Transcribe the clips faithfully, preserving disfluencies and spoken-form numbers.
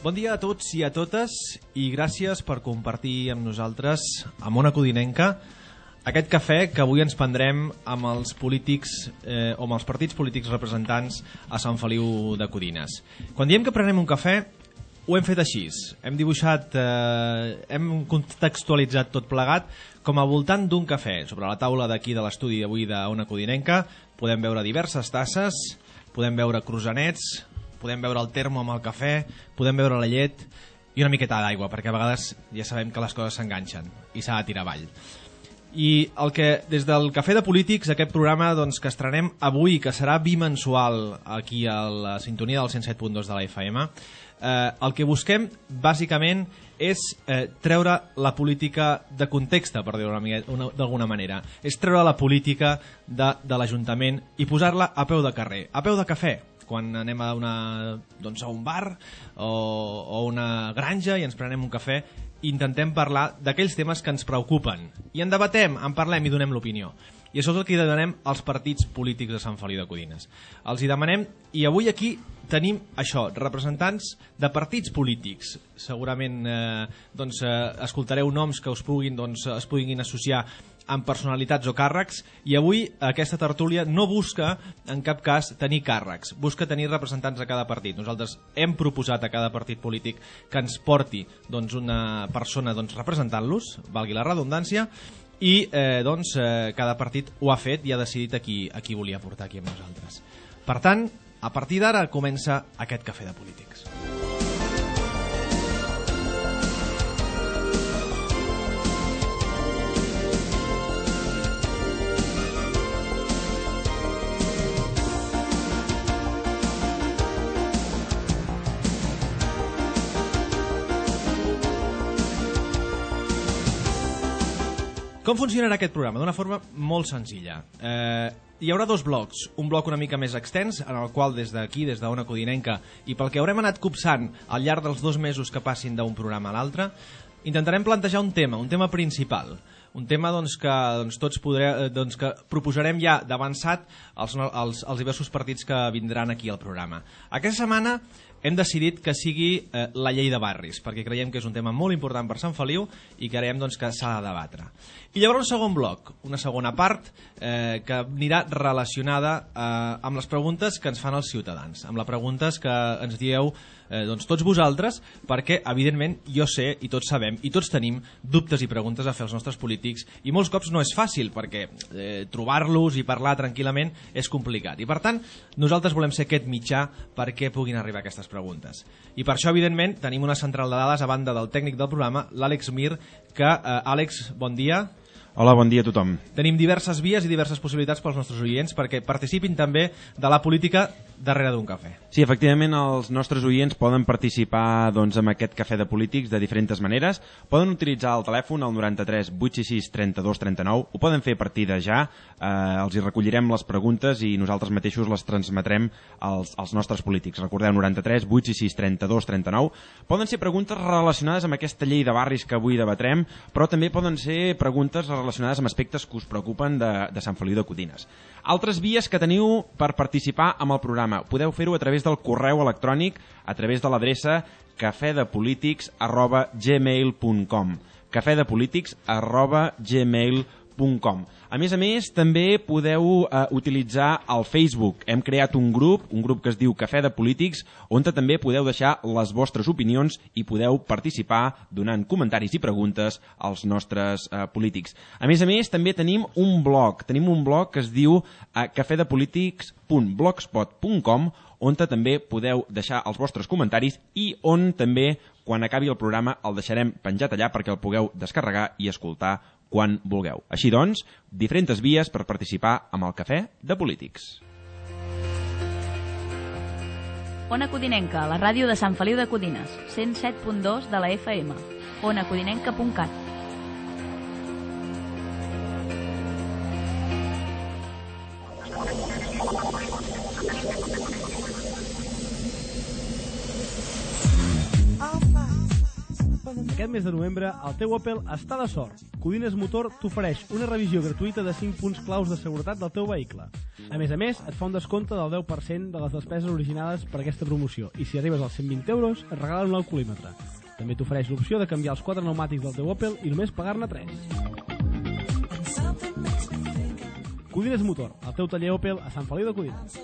Bon dia a tots i a totes i gràcies per compartir amb nosaltres, amb Ona Codinenca, aquest cafè que avui ens prendrem amb els polítics eh, o amb els partits polítics representants a Sant Feliu de Codines. Quan diem que prenem un cafè, ho hem fet així. Hem dibuixat, eh, hem contextualitzat tot plegat com a voltant d'un cafè. Sobre la taula d'aquí de l'estudi d'avui d'Ona Codinenca podem veure diverses tasses, podem veure croissants, podem veure el termo amb el cafè, podem veure la llet i una miqueta d'aigua, perquè a vegades ja sabem que les coses s'enganxen i s'ha de tirar avall. I el que, des del Cafè de Polítics, aquest programa doncs, que estrenem avui, que serà bimensual aquí a la sintonia del cent set punt dos de la F M, eh, el que busquem bàsicament és eh, treure la política de context, per dir-ho d'alguna manera. És treure la política de, de l'Ajuntament i posar-la a peu de carrer, a peu de cafè, quan anem a, una, doncs a un bar o, o una granja i ens prenem un cafè i intentem parlar d'aquells temes que ens preocupen. I en debatem, en parlem i donem l'opinió. I això és el que demanem als partits polítics de Sant Feliu de Codines. Els hi demanem, i avui aquí tenim això, representants de partits polítics. Segurament eh, doncs, eh, escoltareu noms que us puguin, doncs, es puguin associar amb personalitats o càrrecs, i avui aquesta tertúlia no busca en cap cas tenir càrrecs, busca tenir representants de cada partit. Nosaltres hem proposat a cada partit polític que ens porti doncs, una persona doncs, representant-los, valgui la redundància, i eh, doncs, eh, cada partit ho ha fet i ha decidit a qui, a qui volia portar aquí amb nosaltres. Per tant, a partir d'ara comença aquest Cafè de Polítics. Com funcionarà aquest programa? D'una forma molt senzilla. Eh, hi haurà dos blocs. Un bloc una mica més extens, en el qual des d'aquí, des d'Ona Codinenca, i pel que haurem anat copsant al llarg dels dos mesos que passin d'un programa a l'altre, intentarem plantejar un tema, un tema principal. Un tema doncs, que doncs, tots podré, doncs, que proposarem ja d'avançat als, als, als diversos partits que vindran aquí al programa. Aquesta setmana hem decidit que sigui eh, la llei de barris, perquè creiem que és un tema molt important per Sant Feliu i creiem doncs, que s'ha de debatre. I llavors un segon bloc, una segona part eh, que anirà relacionada eh, amb les preguntes que ens fan els ciutadans, amb les preguntes que ens dieu eh, doncs, tots vosaltres, perquè evidentment jo sé i tots sabem i tots tenim dubtes i preguntes a fer als nostres polítics i molts cops no és fàcil perquè eh, trobar-los i parlar tranquil·lament és complicat. I per tant nosaltres volem ser aquest mitjà perquè puguin arribar aquestes preguntes. I per això evidentment tenim una central de dades a banda del tècnic del programa, l'Àlex Mir, que eh, Àlex, bon dia. Hola, bon dia a tothom. Tenim diverses vies i diverses possibilitats pels nostres oients perquè participin també de la política darrere d'un cafè. Sí, efectivament, els nostres oients poden participar doncs, en aquest cafè de polítics de diferents maneres. Poden utilitzar el telèfon al noranta-tres vuit sis sis trenta-dos trenta-nou, ho poden fer a partir de ja, eh, els hi recollirem les preguntes i nosaltres mateixos les transmetrem als, als nostres polítics. Recordeu, noranta-tres vuit sis sis trenta-dos trenta-nou. Poden ser preguntes relacionades amb aquesta llei de barris que avui debatrem, però també poden ser preguntes relacionades amb aspectes que us preocupen de, de Sant Feliu de Codines. Altres vies que teniu per participar amb el programa. Podeu fer-ho a través del correu electrònic, a través de l'adreça cafedepolítics arroba gmail punt com cafedepolítics arroba gmail punt com. A més a més, també podeu eh, utilitzar el Facebook. Hem creat un grup, un grup que es diu Cafè de Polítics, on també podeu deixar les vostres opinions i podeu participar donant comentaris i preguntes als nostres eh, polítics. A més a més, també tenim un blog. Tenim un blog que es diu eh, cafedepolítics punt blogspot punt com, on també podeu deixar els vostres comentaris i on també, quan acabi el programa, el deixarem penjat allà perquè el pugueu descarregar i escoltar quan vulgueu. Així doncs, diferents vies per participar amb el Cafè de Polítics. Ona Codinenca, la ràdio de Sant Feliu de Codines, cent set punt dos de la F M, ona codinenca punt cat. I'll fight for the Aquest mes de novembre, el teu Opel està de sort. Codines Motor t'ofereix una revisió gratuïta de cinc punts claus de seguretat del teu vehicle. A més a més, et fa un descompte del deu per cent de les despeses originades per aquesta promoció i si arribes als cent vint euros et regalen un alcoholímetre. També t'ofereix l'opció de canviar els quatre pneumàtics del teu Opel i només pagar-ne tres. Codines Motor, el teu taller Opel a Sant Feliu de Codines.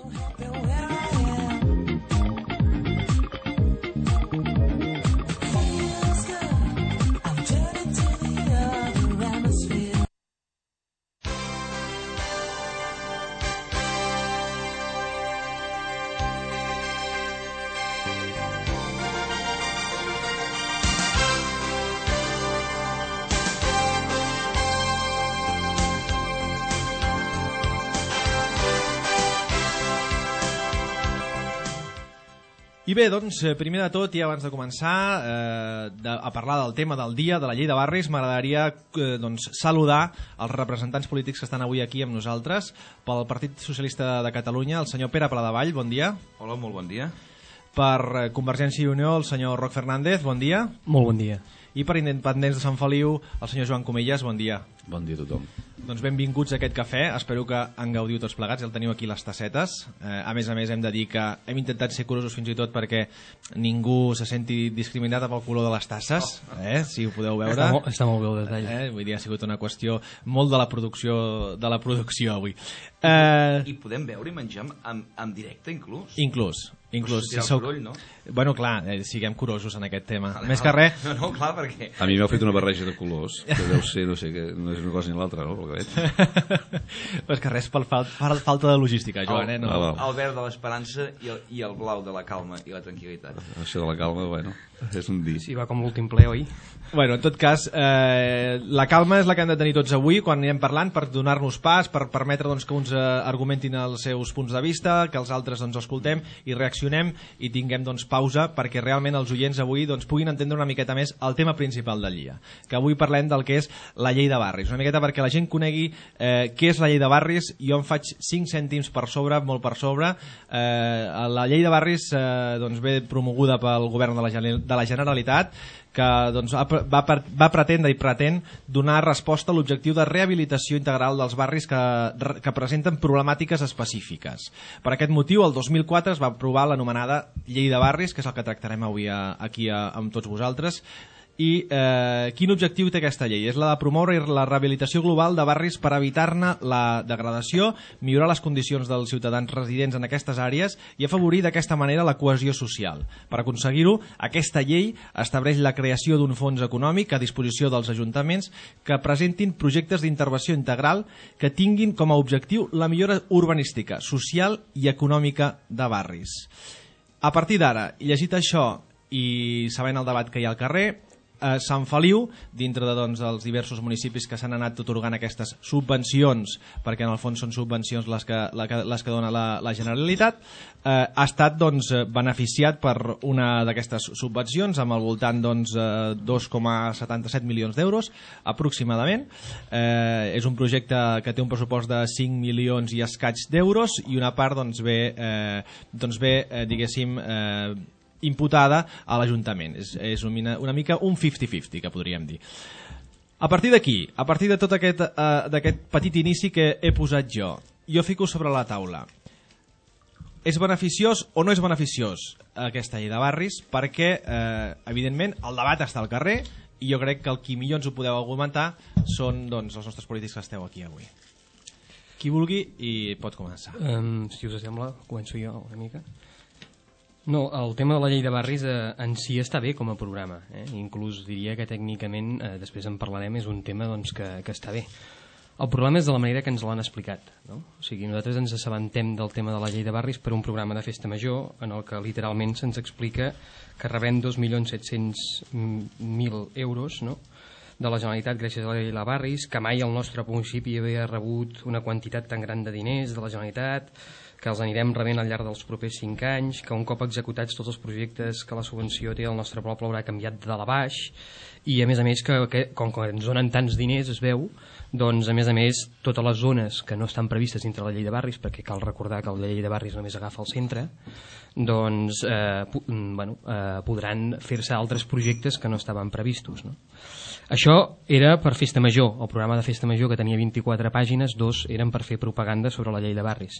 I bé, doncs, primer de tot i abans de començar eh, de, a parlar del tema del dia, de la llei de barris, m'agradaria eh, doncs, saludar els representants polítics que estan avui aquí amb nosaltres. Pel Partit Socialista de Catalunya, el senyor Pere Pladevall, bon dia. Hola, molt bon dia. Per Convergència i Unió, el senyor Roc Fernández, bon dia. Molt bon dia. I per Independents de Sant Feliu, el senyor Joan Comelles, bon dia. Bon dia a tothom. Doncs benvinguts a aquest cafè, espero que en gaudiu tots plegats, ja el teniu aquí les tassetes. Eh, a més a més hem de dir que hem intentat ser curosos fins i tot perquè ningú se senti discriminat pel color de les tasses, eh, si ho podeu veure. Està molt, està molt bé el detall. Eh, vull dir, ha sigut una qüestió molt de la producció, de la producció avui. Eh, I podem veure i menjar en, en directe inclús? inclús. Inclús, si sou... coroll, no? Bueno, clar, eh, siguem curosos en aquest tema. Vale, Més vale. que res... No, no, clar, perquè... A mi m'heu fet una barreja de colors, que deu ser, no sé, que no és una cosa ni l'altra, no? Pel que veig. Més que res per, fal per falta de logística, Joan, eh? No. Ah, El verd de l'esperança i, el, i el blau de la calma i la tranquil·litat. Això de la calma, bueno, és un dir. Sí, va com l'últim ple, oi? Bueno, en tot cas, eh, la calma és la que hem de tenir tots avui quan anirem parlant per donar-nos pas, per permetre doncs, que uns eh, argumentin els seus punts de vista, que els altres doncs, escoltem i reaccionem i tinguem doncs, pausa perquè realment els oients avui doncs, puguin entendre una miqueta més el tema principal del dia. Que avui parlem del que és la llei de barris. Una miqueta perquè la gent conegui eh, què és la llei de barris. Jo em faig cinc cèntims per sobre, molt per sobre. Eh, la llei de barris eh, doncs, ve promoguda pel govern de la, de la Generalitat, que doncs, va, va pretendre i pretén donar resposta a l'objectiu de rehabilitació integral dels barris que, que presenten problemàtiques específiques. Per aquest motiu, el dos mil quatre es va aprovar l'anomenada Llei de Barris, que és el que tractarem avui a, aquí a, amb tots vosaltres. I eh, quin objectiu té aquesta llei? És la de promoure la rehabilitació global de barris per evitar-ne la degradació, millorar les condicions dels ciutadans residents en aquestes àrees i afavorir d'aquesta manera la cohesió social. Per aconseguir-ho, aquesta llei estableix la creació d'un fons econòmic a disposició dels ajuntaments que presentin projectes d'intervenció integral que tinguin com a objectiu la millora urbanística, social i econòmica de barris. A partir d'ara, llegit això i sabent el debat que hi ha al carrer, a Sant Feliu, dintre de, doncs, dels diversos municipis que s'han anat atorgant aquestes subvencions, perquè en el fons són subvencions les que, les que dona la, la Generalitat, eh, ha estat doncs, beneficiat per una d'aquestes subvencions amb al voltant doncs, dos coma setanta-set milions d'euros aproximadament. Eh, és un projecte que té un pressupost de cinc milions i escaig d'euros i una part doncs, ve, eh, doncs, ve eh, diguéssim, eh, imputada a l'Ajuntament. És, és una, una mica un cinquanta cinquanta, que podríem dir. A partir d'aquí, a partir de tot aquest, uh, d'aquest petit inici que he posat jo, jo fico sobre la taula. És beneficiós o no és beneficiós aquesta llei de barris? Perquè, eh, evidentment, el debat està al carrer i jo crec que el qui millor ens ho podeu argumentar són doncs, els nostres polítics que esteu aquí avui. Qui vulgui i pot començar. Um, si us sembla, començo jo una mica. No, el tema de la llei de barris eh, en si està bé com a programa, eh? Inclús diria que tècnicament, eh, després en parlarem, és un tema doncs, que, que està bé. El problema és de la manera que ens l'han explicat, no? O sigui, nosaltres ens assabentem del tema de la llei de barris per un programa de festa major en el que literalment se'ns explica que rebem dos milions set-cents mil euros, no? de la Generalitat gràcies a la llei de barris, que mai el nostre municipi havia rebut una quantitat tan gran de diners de la Generalitat, que els anirem rebent al llarg dels propers cinc anys, que un cop executats tots els projectes que la subvenció té el nostre poble haurà canviat de dalt a baix, i a més a més que, que com que ens donen tants diners es veu, doncs a més a més totes les zones que no estan previstes dintre la llei de barris, perquè cal recordar que la llei de barris només agafa el centre, doncs eh, bueno, eh, podran fer-se altres projectes que no estaven previstos, no? Això era per Festa Major, el programa de Festa Major, que tenia vint-i-quatre pàgines, dos eren per fer propaganda sobre la llei de barris.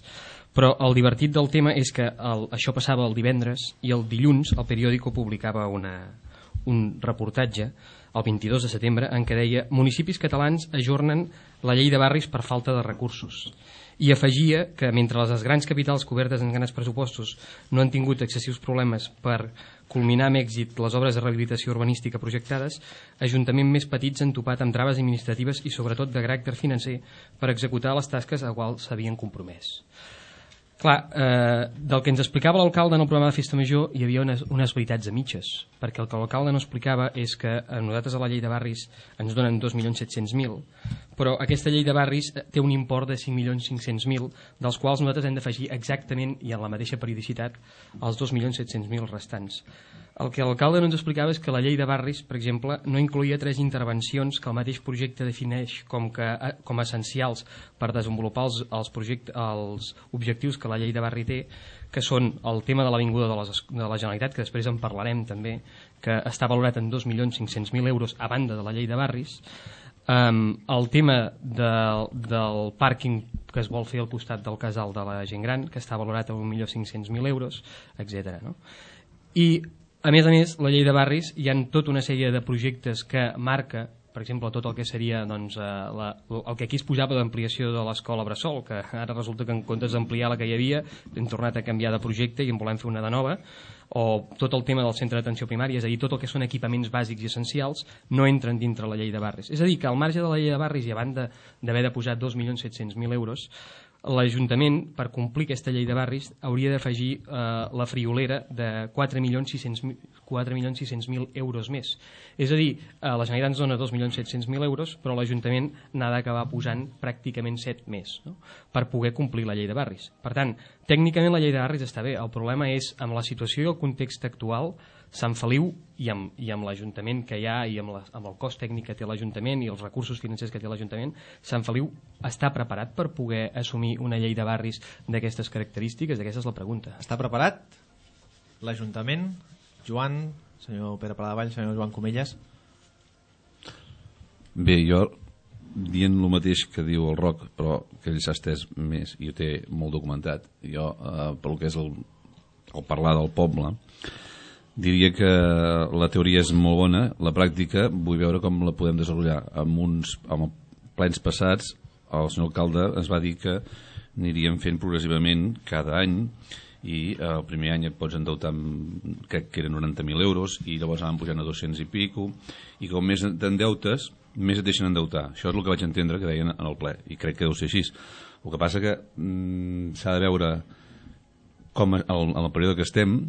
Però el divertit del tema és que el, això passava el divendres i el dilluns el periòdico publicava una, un reportatge el vint-i-dos de setembre en què deia: municipis catalans ajornen la llei de barris per falta de recursos. I afegia que mentre les grans capitals cobertes en grans pressupostos no han tingut excessius problemes per culminar amb èxit les obres de rehabilitació urbanística projectades, ajuntaments més petits han topat amb traves administratives i sobretot de caràcter financer per executar les tasques a quals s'havien compromès. Clar, eh, del que ens explicava l'alcalde en el programa de Festa Major hi havia unes, unes veritats a mitges, perquè el que l'alcalde no explicava és que a nosaltres a la llei de barris ens donen dos milions set-cents mil, però aquesta llei de barris té un import de cinc milions cinc-cents mil, dels quals nosaltres hem d'afegir exactament i en la mateixa periodicitat els dos milions set-cents mil restants. El que l'alcalde no ens explicava és que la llei de barris, per exemple, no incloïa tres intervencions que el mateix projecte defineix com, que, com essencials per desenvolupar els, els, projecte, els objectius que la llei de barri té, que són el tema de l'Avinguda de, les, de la Generalitat, que després en parlarem també, que està valorat en dos milions cinc-cents mil euros a banda de la llei de barris, um, el tema de, del pàrquing que es vol fer al costat del casal de la gent gran, que està valorat en un milió cinc-cents mil euros, etcètera. No? I a més a més, la llei de barris hi ha tota una sèrie de projectes que marca, per exemple, tot el que seria doncs, eh, la, el que aquí es posava d'ampliació de l'escola Bressol, que ara resulta que en comptes d'ampliar la que hi havia hem tornat a canviar de projecte i en volem fer una de nova, o tot el tema del centre d'atenció primària, és a dir, tot el que són equipaments bàsics i essencials no entren dintre la llei de barris. És a dir, que al marge de la llei de barris i a banda d'haver de posar dos milions set-cents mil euros, l'Ajuntament, per complir aquesta llei de barris, hauria d'afegir eh, la friolera de quatre milions sis-cents mil euros més. És a dir, eh, la Generalitat ens dona dos milions set-cents mil euros, però l'Ajuntament n'ha d'acabar posant pràcticament set més, no? Per poder complir la llei de barris. Per tant, tècnicament la llei de barris està bé. El problema és, amb la situació i el context actual, Sant Feliu i amb, i amb l'Ajuntament que hi ha i amb, la, amb el cost tècnic que té l'Ajuntament i els recursos financers que té l'Ajuntament, Sant Feliu està preparat per poder assumir una llei de barris d'aquestes característiques? Aquesta és la pregunta. Està preparat l'Ajuntament? Joan, senyor Pere Paladavall, senyor Joan Comelles? Bé, jo dient el mateix que diu el Roc, però que ell s'ha estès més i ho té molt documentat. Jo, eh, pel que és el, el parlar del poble, diria que la teoria és molt bona, la pràctica vull veure com la podem desenvolupar. Amb uns amb plens passats el senyor alcalde ens va dir que aniríem fent progressivament cada any i el primer any et pots endeutar amb, crec que eren noranta mil euros i llavors anaven pujant a dos-cents i pico i com més t'endeutes més et deixen endeutar. Això és el que vaig entendre que deien en el ple i crec que deu ser així. El que passa que mm, s'ha de veure com en el període que estem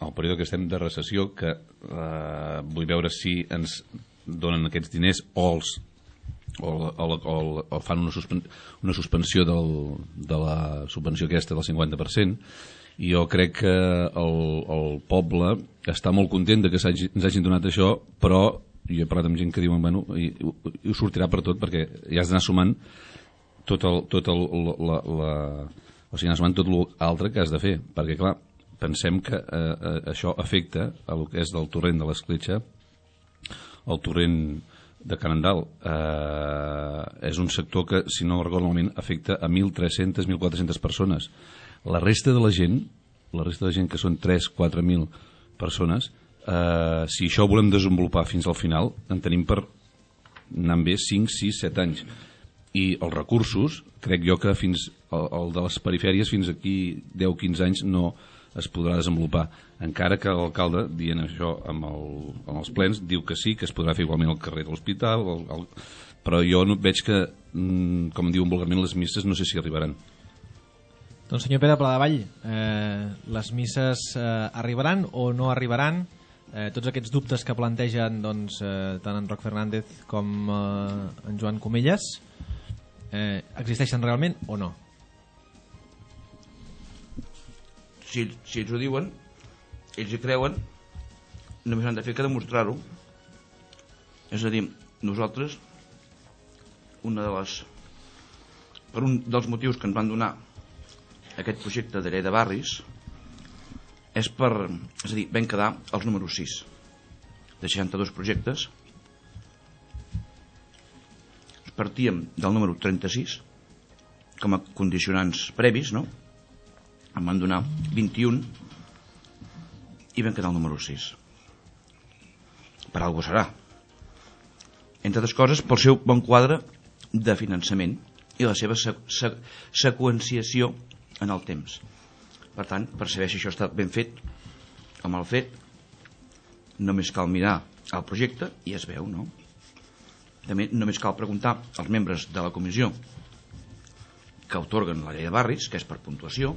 el període que estem de recessió, que eh, vull veure si ens donen aquests diners o, els, o, o, o, o fan una, suspen, una suspensió del, de la subvenció aquesta del cinquanta per cent, i jo crec que el, el poble està molt content de que hagi, ens hagin donat això, però jo he parlat amb gent que diuen bueno, i, i, i ho sortirà per tot, perquè ja has d'anar sumant tot el, tot el, la, la, o sigui, anar sumant tot l'altre que has de fer, perquè clar, pensem que eh, això afecta a el que és del torrent de l'Escletxa, el torrent de Canandal. Eh, és un sector que, si no recordo malament, afecta a mil tres-centes a mil quatre-centes persones. La resta de la gent, la resta de la gent que són tres a quatre mil persones, eh, si això ho volem desenvolupar fins al final, en tenim per anar bé cinc, sis, set anys. I els recursos, crec jo que fins el, el de les perifèries fins aquí deu a quinze anys no es podrà desenvolupar, encara que l'alcalde, dient això amb, el, amb els plens, diu que sí, que es podrà fer igualment al carrer de l'hospital, el, el... però jo no veig que, com diuen vulgarment, les misses no sé si arribaran. Doncs senyor Pere Paladavall, eh, les misses eh, arribaran o no arribaran? eh, tots aquests dubtes que plantegen doncs, eh, tant en Roc Fernández com eh, en Joan Comelles eh, existeixen realment o no? Si, si ells ho diuen, ells hi creuen, només han de fer que demostrar-ho. És a dir, nosaltres, una de les, per un dels motius que ens van donar aquest projecte de llei de barris, és per, és a dir, vam quedar els números sis de seixanta-dos projectes. Partíem del número trenta-sis com a condicionants previs, no? Em van donar vint-i-un i vam quedar el número sis. Per alguna serà, entre altres coses pel seu bon quadre de finançament i la seva sequ sequ seqüenciació en el temps. Per tant, per saber si això està ben fet o mal fet, només cal mirar el projecte i es veu, no? També només cal preguntar als membres de la comissió que atorguen la llei de barris, que és per puntuació,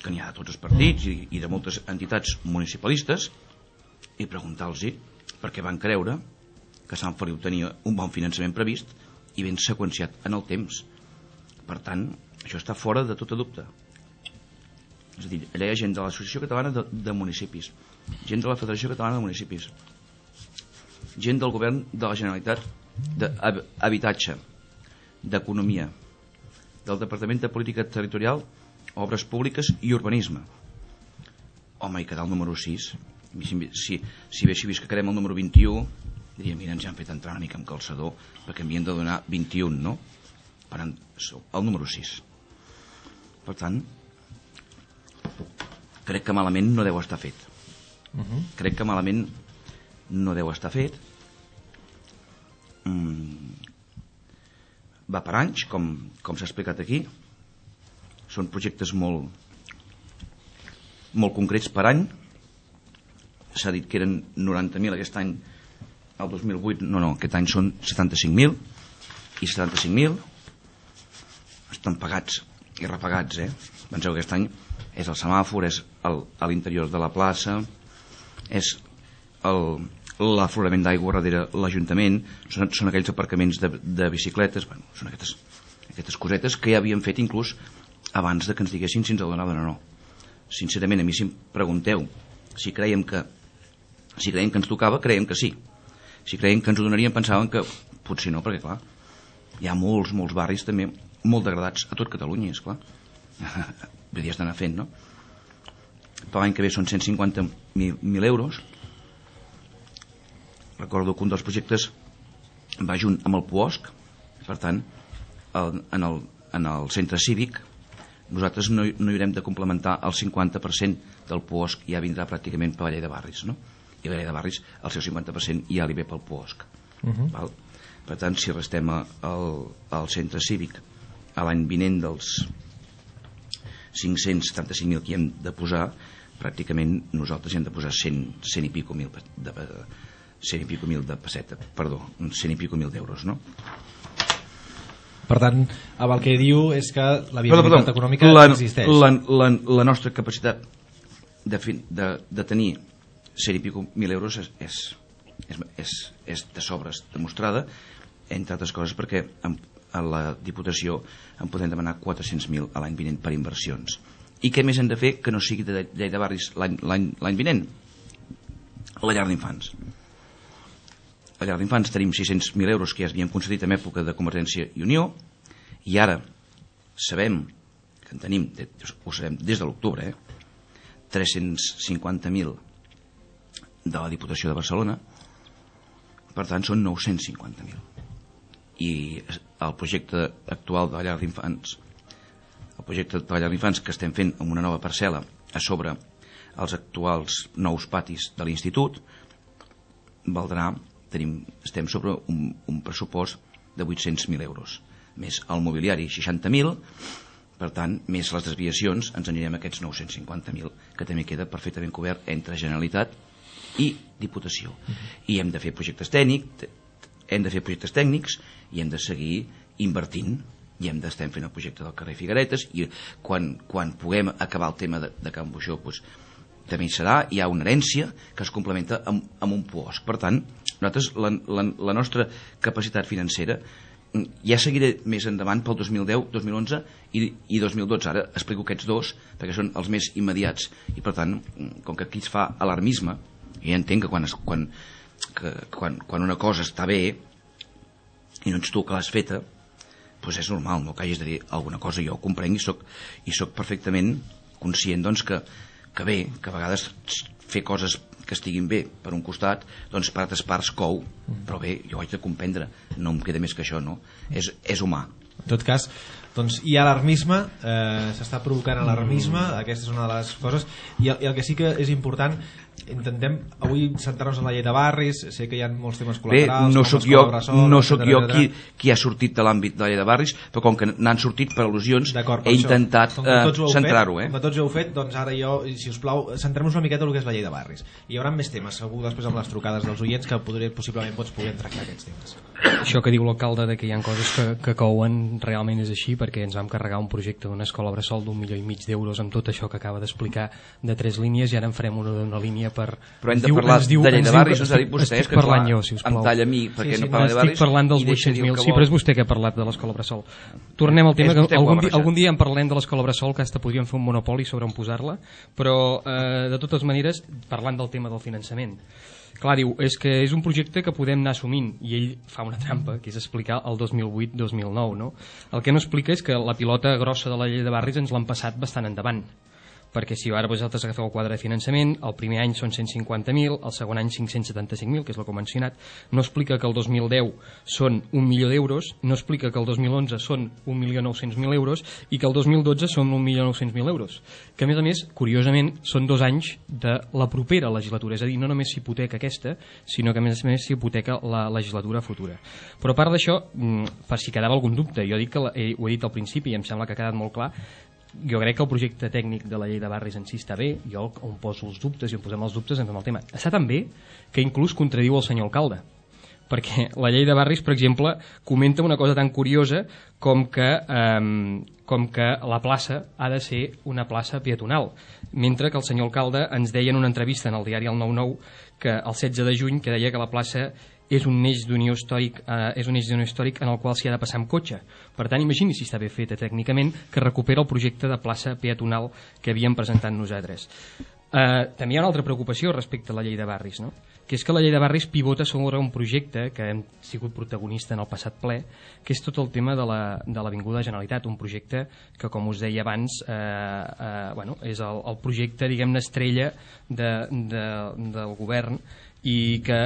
que n'hi ha de tots els partits i, i de moltes entitats municipalistes, i preguntar-los per què van creure que Sant Feliu tenia un bon finançament previst i ben seqüenciat en el temps. Per tant, això està fora de tota dubte. És a dir, allà hi ha gent de l'Associació Catalana de, de Municipis, gent de la Federació Catalana de Municipis, gent del govern de la Generalitat d'Habitatge, d'Economia, del Departament de Política Territorial, Obres Públiques i Urbanisme. Home, hi quedar el número sis. Si, si, si haguéssim vist que quedem el número vint-i-u, diria, mira, ens han fet entrar una mica amb calçador perquè m'havien de donar vint-i-un, no? Per tant, el número sis. Per tant, crec que malament no deu estar fet. Uh-huh. Crec que malament no deu estar fet. Mm. Va per anys, com, com s'ha explicat aquí. Són projectes molt molt concrets per any. S'ha dit que eren noranta mil aquest any, el dos mil vuit, no, no, aquest any són setanta-cinc mil, i setanta-cinc mil estan pagats i repagats, eh? Penseu que aquest any és el semàfor, és el, a l'interior de la plaça, és l'aflorament d'aigua darrere l'Ajuntament, són, són aquells aparcaments de, de bicicletes, bueno, són aquestes, aquestes cosetes que ja havíem fet inclús abans de que ens diguessin si ens el donaven o no. Sincerament, a mi si em pregunteu si creiem que si creiem que ens tocava, creiem que sí. Si creiem que ens ho donarien, pensàvem que potser no, perquè clar, hi ha molts, molts barris també molt degradats a tot Catalunya, esclar. Vull dir, estan fent, no? Per l'any que ve són cent cinquanta mil euros. Recordo que un dels projectes va junt amb el Puosc, per tant, el, en, el, en el centre cívic nosaltres no, no hi haurem de complementar el cinquanta per cent del Puosc, ja vindrà pràcticament per la llei de barris, no? I la llei de barris, el seu cinquanta per cent ja li ve pel Puosc. Uh-huh. Val? Per tant, si restem el, el centre cívic a l'any vinent dels cinc-cents setanta-cinc mil que hi hem de posar, pràcticament nosaltres hi hem de posar cent, cent i pico mil de, de, cent i pico mil de pesseta, perdó, cent i pico mil d'euros, no? Per tant, el que diu és que la viabilitat econòmica la, existeix. La, la, la nostra capacitat de, de, de tenir cent i pico mil euros és, és, és, és, és de sobres demostrada, entre altres coses perquè en, a la Diputació en podem demanar quatre-cents mil a l'any vinent per inversions. I què més hem de fer que no sigui de llei de barris l'any vinent? La llar d'infants. A llar d'infants tenim sis-cents mil euros que ja s'havien concedit en època de Convergència i Unió, i ara sabem que en tenim, ho sabem des de l'octubre, eh? tres-cents cinquanta mil de la Diputació de Barcelona, per tant són nou-cents cinquanta mil. I el projecte actual de la llar d'infants, el projecte de la llar d'infants que estem fent amb una nova parcel·la a sobre els actuals nous patis de l'institut, valdrà, tenim, estem sobre un, un pressupost de vuit-cents mil euros, més el mobiliari seixanta mil, per tant, més les desviacions, ens anirem a aquests nou-cents cinquanta mil, que també queda perfectament cobert entre Generalitat i Diputació. I hem de fer projectes tècnics, hem de fer projectes tècnics i hem de seguir invertint, i hem d'estar fent el projecte del carrer Figueretes, i quan, quan puguem acabar el tema de, de Can Buixó, doncs, també hi serà, hi ha una herència que es complementa amb, amb un puosc. Per tant, nosaltres, la, la, la nostra capacitat financera ja seguiré més endavant pel dos mil deu, dos mil onze i, i dos mil dotze. Ara explico aquests dos perquè són els més immediats i per tant, com que aquí es fa alarmisme, jo entenc que quan, es, quan, que, quan, quan una cosa està bé i no ets tu que l'has feta, doncs és normal, no, que hagis de dir alguna cosa. Jo ho comprenc i soc, i soc perfectament conscient doncs, que, que bé, que a vegades fer coses que estiguin bé per un costat, doncs per altres parts cou, però bé, jo ho haig de comprendre, no em queda més que això, no? És, és humà. En tot cas, doncs hi ha alarmisme, eh, s'està provocant alarmisme, aquesta és una de les coses, i el, i el que sí que és important, intentem avui centrar-nos en la llei de barris, sé que hi ha molts temes col·laterals, bé, no soc jo, bressol, no soc jo etcètera, qui, qui ha sortit de l'àmbit de la llei de barris, però com que n'han sortit per al·lusions, per he intentat eh, centrar-ho. Eh? Com que tots ho heu fet, doncs ara jo, si us plau, centrem-nos una miqueta en el que és la llei de barris. Hi haurà més temes, segur, després amb les trucades dels oients, que podré, possiblement pots poder tractar aquests temes. Això que diu l'alcalde de que hi ha coses que, que couen realment és així, perquè ens vam carregar un projecte d'una escola bressol d'un milió i mig d'euros amb tot això que acaba d'explicar de tres línies i ara en farem una d'una línia per... Però hem de parlar diu, de llei de barris, ens ha dit vostè, estic parlant jo, si us plau. Em talla a mi, perquè sí, sí, no parla de barris. Estic parlant dels vuit-cents mil, sí, però és vostè que ha parlat de l'escola bressol. Tornem al tema, que algun, dia, algun dia en parlem de l'escola bressol, que hasta podríem fer un monopoli sobre on posar-la, però eh, de totes maneres, parlant del tema del finançament. Clar, diu, és que és un projecte que podem anar assumint, i ell fa una trampa, que és explicar el dos mil vuit dos mil nou, no? El que no explica és que la pilota grossa de la llei de barris ens l'han passat bastant endavant, perquè si ara vosaltres agafeu el quadre de finançament, el primer any són cent cinquanta mil, el segon any cinc-cents setanta-cinc mil, que és el que he mencionat, no explica que el dos mil deu són un milió d'euros, no explica que el dos mil onze són un milió nou-cents mil euros i que el dos mil dotze són un milió nou-cents mil euros, que a més a més, curiosament, són dos anys de la propera legislatura, és a dir, no només s'hipoteca aquesta, sinó que a més a més s'hipoteca la legislatura futura. Però a part d'això, per si quedava algun dubte, jo dic que la, eh, ho he dit al principi i em sembla que ha quedat molt clar, jo crec que el projecte tècnic de la llei de barris en si està bé, jo on poso els dubtes i on posem els dubtes en fem el tema. Està tan bé que inclús contradiu el senyor alcalde, perquè la llei de barris, per exemple, comenta una cosa tan curiosa com que, eh, com que la plaça ha de ser una plaça peatonal, mentre que el senyor alcalde ens deia en una entrevista en el diari El nou nou que el setze de juny que deia que la plaça és un eix d'unió històric, eh, és un eix d'unió històric en el qual s'hi ha de passar amb cotxe. Per tant, imagini si està bé feta tècnicament, que recupera el projecte de plaça peatonal que havíem presentat nosaltres. Eh, també hi ha una altra preocupació respecte a la llei de barris, no? Que és que la llei de barris pivota sobre un projecte que hem sigut protagonista en el passat ple, que és tot el tema de l'Avinguda Generalitat, un projecte que, com us deia abans, eh, eh, bueno, és el, el projecte, diguem-ne, estrella de, de, del govern i que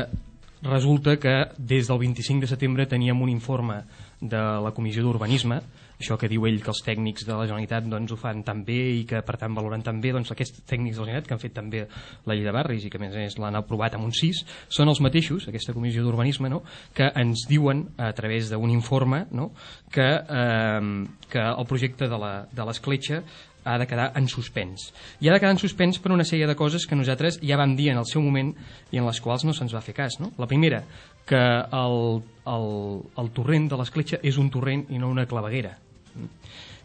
resulta que des del vint-i-cinc de setembre teníem un informe de la Comissió d'Urbanisme, això que diu ell que els tècnics de la Generalitat doncs, ho fan tan bé i que per tant valoren tan bé, doncs aquests tècnics de la Generalitat que han fet també la llei de barris i que a més a més l'han aprovat amb un sis, són els mateixos, aquesta Comissió d'Urbanisme, no? Que ens diuen a través d'un informe, no? que, eh, que el projecte de l'escletxa ha de quedar en suspens. I ha de quedar en suspens per una sèrie de coses que nosaltres ja vam dir en el seu moment i en les quals no se'ns va fer cas. No? La primera, que el, el, el torrent de l'escletxa és un torrent i no una claveguera.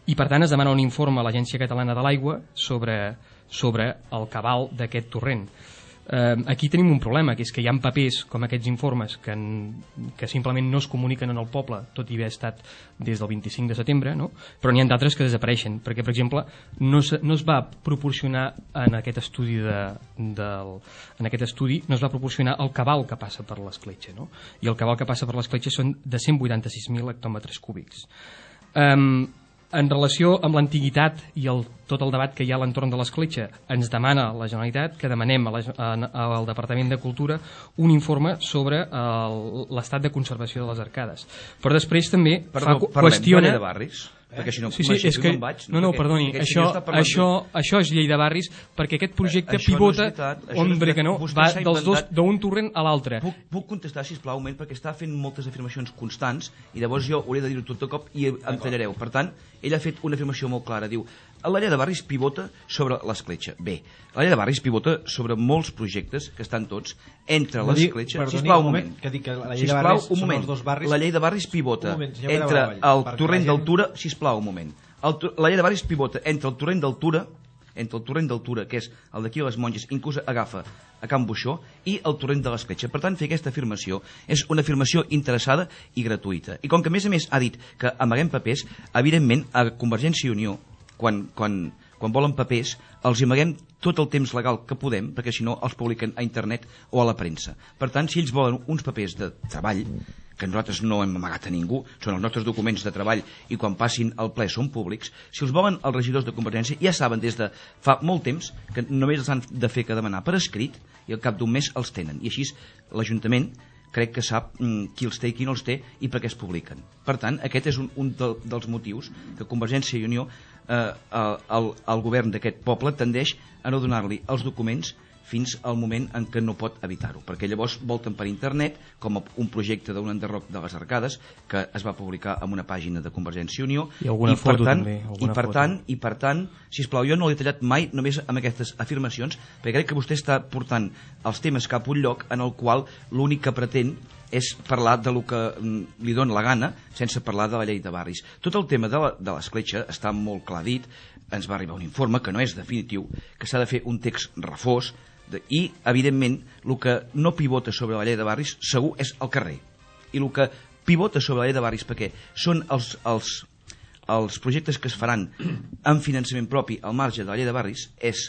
I per tant es demana un informe a l'Agència Catalana de l'Aigua sobre, sobre el cabal d'aquest torrent. Eh, aquí tenim un problema, que és que hi ha papers com aquests informes que, en, que simplement no es comuniquen en el poble, tot i haver estat des del vint-i-cinc de setembre, no? Però n'hi ha d'altres que desapareixen, perquè, per exemple, no es, no es va proporcionar en aquest estudi de, del, en aquest estudi no es va proporcionar el cabal que passa per l'escletxa, no? I el cabal que passa per l'escletxa són de cent vuitanta-sis mil hectòmetres cúbics. Um, en relació amb l'antiguitat i el, tot el debat que hi ha a l'entorn de l'escletxa, ens demana la Generalitat que demanem a la, a, al Departament de Cultura un informe sobre l'estat de conservació de les arcades. Però després també Perdó, fa, parlem, qüestiona... de barris? Perquè si no, sí, sí, és que, no, vaig, no, no, perdoni, això, això, això és llei de barris, perquè aquest projecte això pivota, no hombre que no, va dels dos, d'un torrent a l'altre. Puc, puc contestar, sisplau, perquè està fent moltes afirmacions constants i llavors jo hauré de dir-ho tot de cop i em tallareu. Per tant, ell ha fet una afirmació molt clara, diu, la llei de barris pivota sobre l'escletxa. Bé, la llei de barris pivota sobre molts projectes que estan tots entre l'escletxa. Sisplau, un moment. Sisplau, un moment. La llei de barris pivota entre el torrent d'Altura, sisplau, un moment. El, la llei de barris pivota entre el torrent d'Altura entre el torrent d'Altura, que és el d'aquí a les Monges, inclús agafa a Can Buixó, i el torrent de l'Escletxa. Per tant, fer aquesta afirmació és una afirmació interessada i gratuïta. I com que a més a més ha dit que amaguem papers, evidentment a Convergència i Unió, quan, quan, quan volen papers, els amaguem tot el temps legal que podem, perquè si no els publiquen a internet o a la premsa. Per tant, si ells volen uns papers de treball, que nosaltres no hem amagat a ningú, són els nostres documents de treball i quan passin al ple són públics, si els volen els regidors de Convergència ja saben des de fa molt temps que només els han de fer que demanar per escrit i al cap d'un mes els tenen. I així l'Ajuntament crec que sap mm, qui els té i qui no els té i per què es publiquen. Per tant, aquest és un, un de, dels motius que Convergència i Unió, eh, el, el govern d'aquest poble, tendeix a no donar-li els documents fins al moment en què no pot evitar-ho, perquè llavors volten per internet, com un projecte d'un enderroc de les Arcades, que es va publicar en una pàgina de Convergència i Unió, i, i per tant, també, i per tant, i per tant, sisplau, jo no l'he tallat mai només amb aquestes afirmacions, perquè crec que vostè està portant els temes cap a un lloc en el qual l'únic que pretén és parlar de lo que li dona la gana sense parlar de la llei de barris. Tot el tema de l'Escletxa està molt clar dit, ens va arribar un informe que no és definitiu, que s'ha de fer un text refós, i evidentment el que no pivota sobre la llei de barris segur és el carrer, i el que pivota sobre la llei de barris, perquè són els, els, els projectes que es faran amb finançament propi al marge de la llei de barris, és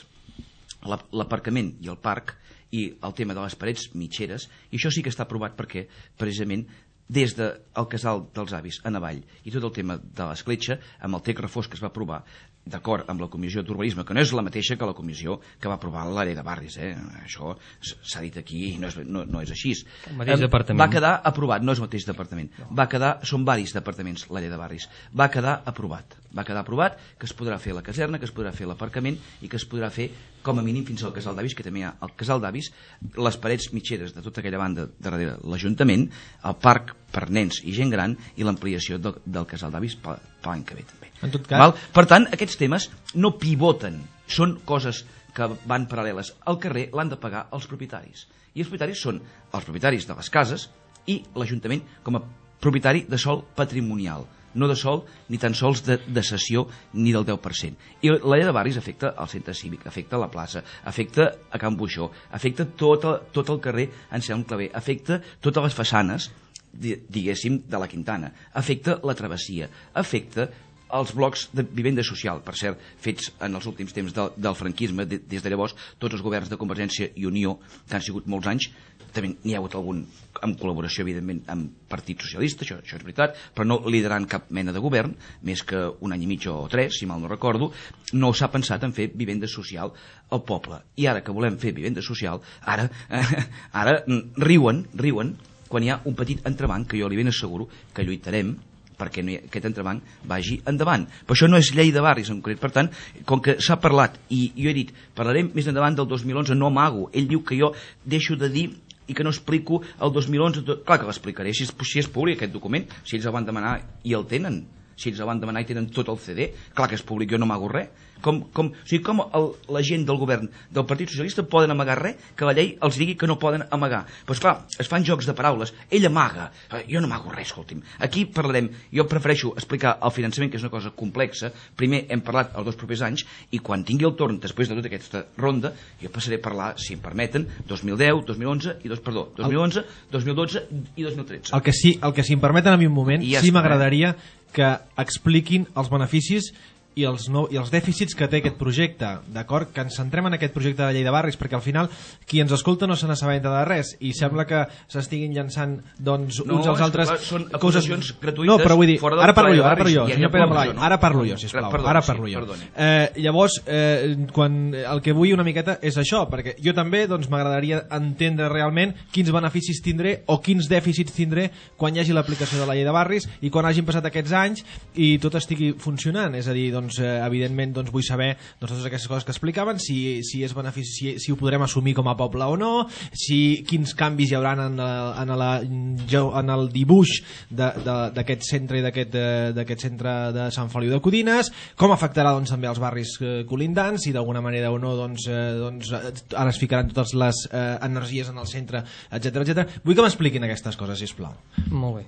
l'aparcament i el parc i el tema de les parets mitgeres, i això sí que està aprovat perquè precisament des del casal dels avis en avall i tot el tema de l'Escletxa, amb el text refós que es va aprovar d'acord amb la comissió d'urbanisme, que no és la mateixa que la comissió que va aprovar l'àrea de barris, eh? Això s'ha dit aquí i no és, no, no és així. El mateix um, departament. Va quedar aprovat, no és el mateix departament, no. Va quedar, són varis departaments l'àrea de barris, va quedar aprovat, va quedar aprovat que es podrà fer la caserna, que es podrà fer l'aparcament i que es podrà fer com a mínim fins al casal d'avis, que també hi ha el casal d'avis, les parets mitgeres de tota aquella banda darrere l'Ajuntament, el parc per nens i gent gran i l'ampliació del, del casal d'avis per l'any que ve també. En tot cas... Val? Per tant, aquests temes no pivoten, són coses que van paral·leles. Al carrer l'han de pagar els propietaris. I els propietaris són els propietaris de les cases i l'Ajuntament com a propietari de sòl patrimonial, no de sòl ni tan sols de, de cessió ni del deu per cent. I la llei de barris afecta el centre cívic, afecta la plaça, afecta a Can Buixó, afecta tot el, tot el carrer Anselm Clavé, afecta totes les façanes, diguéssim, de la Quintana, afecta la travessia, afecta els blocs de vivenda social, per cert, fets en els últims temps del, del franquisme, de, des de llavors, tots els governs de Convergència i Unió, que han sigut molts anys, també n'hi ha hagut algun amb col·laboració, evidentment, amb Partit Socialista, això, això és veritat, però no liderant cap mena de govern, més que un any i mig o tres, si mal no recordo, no s'ha pensat en fer vivenda social al poble. I ara que volem fer vivenda social, ara, eh, ara riuen, riuen, quan hi ha un petit entrebanc, que jo li ben asseguro que lluitarem perquè no hi, aquest entrebanc vagi endavant. Però això no és llei de barris en concret. Per tant, com que s'ha parlat, i jo he dit, parlarem més endavant del dos mil onze, no amago. Ell diu que jo deixo de dir i que no explico el dos mil onze. Clar que l'explicaré, si és, si és públic aquest document, si ells el van demanar i el tenen, si ells el van demanar i tenen tot el C D, clar que és públic, jo no amago res. Com, com, o sigui, com el, la gent del govern del Partit Socialista poden amagar res que la llei els digui que no poden amagar. Però esclar, es fan jocs de paraules. Ell amaga, jo no amago res, escolti'm. Aquí parlarem, jo prefereixo explicar el finançament, que és una cosa complexa. Primer hem parlat els dos propers anys i quan tingui el torn, després de tota aquesta ronda, jo passaré a parlar, si em permeten, dos mil deu, dos mil onze i dos, perdó, dos mil onze, dos mil dotze i dos mil tretze. El que sí, el que si em permeten a mi un moment, ja sí m'agradaria que expliquin els beneficis i els, no, i els dèficits que té aquest projecte, d'acord? Que ens centrem en aquest projecte de la llei de barris, perquè al final qui ens escolta no se n'assabenta de res i sembla que s'estiguin llançant doncs, no, uns als altres clar, són coses gratuïtes. No, però vull dir, fora ara parlo jo, ara barris, parlo jo, ja senyor Pere Blai, no? ara parlo jo, sisplau, perdoni, ara parlo sí, jo. Eh, llavors, eh, quan, el que vull una miqueta és això, perquè jo també doncs, m'agradaria entendre realment quins beneficis tindré o quins dèficits tindré quan hi hagi l'aplicació de la llei de barris i quan hagin passat aquests anys i tot estigui funcionant, és a dir, doncs, eh, evidentment doncs vull saber doncs, totes aquestes coses que explicaven, si, si, és benefici, si, si ho podrem assumir com a poble o no, si, quins canvis hi haurà en, la, en, la, en el dibuix d'aquest centre i d'aquest centre de Sant Feliu de Codines, com afectarà doncs, també els barris eh, colindants, si d'alguna manera o no doncs, eh, doncs, ara es ficaran totes les eh, energies en el centre, etcètera etcètera. Vull que m'expliquin aquestes coses, sisplau. Molt bé.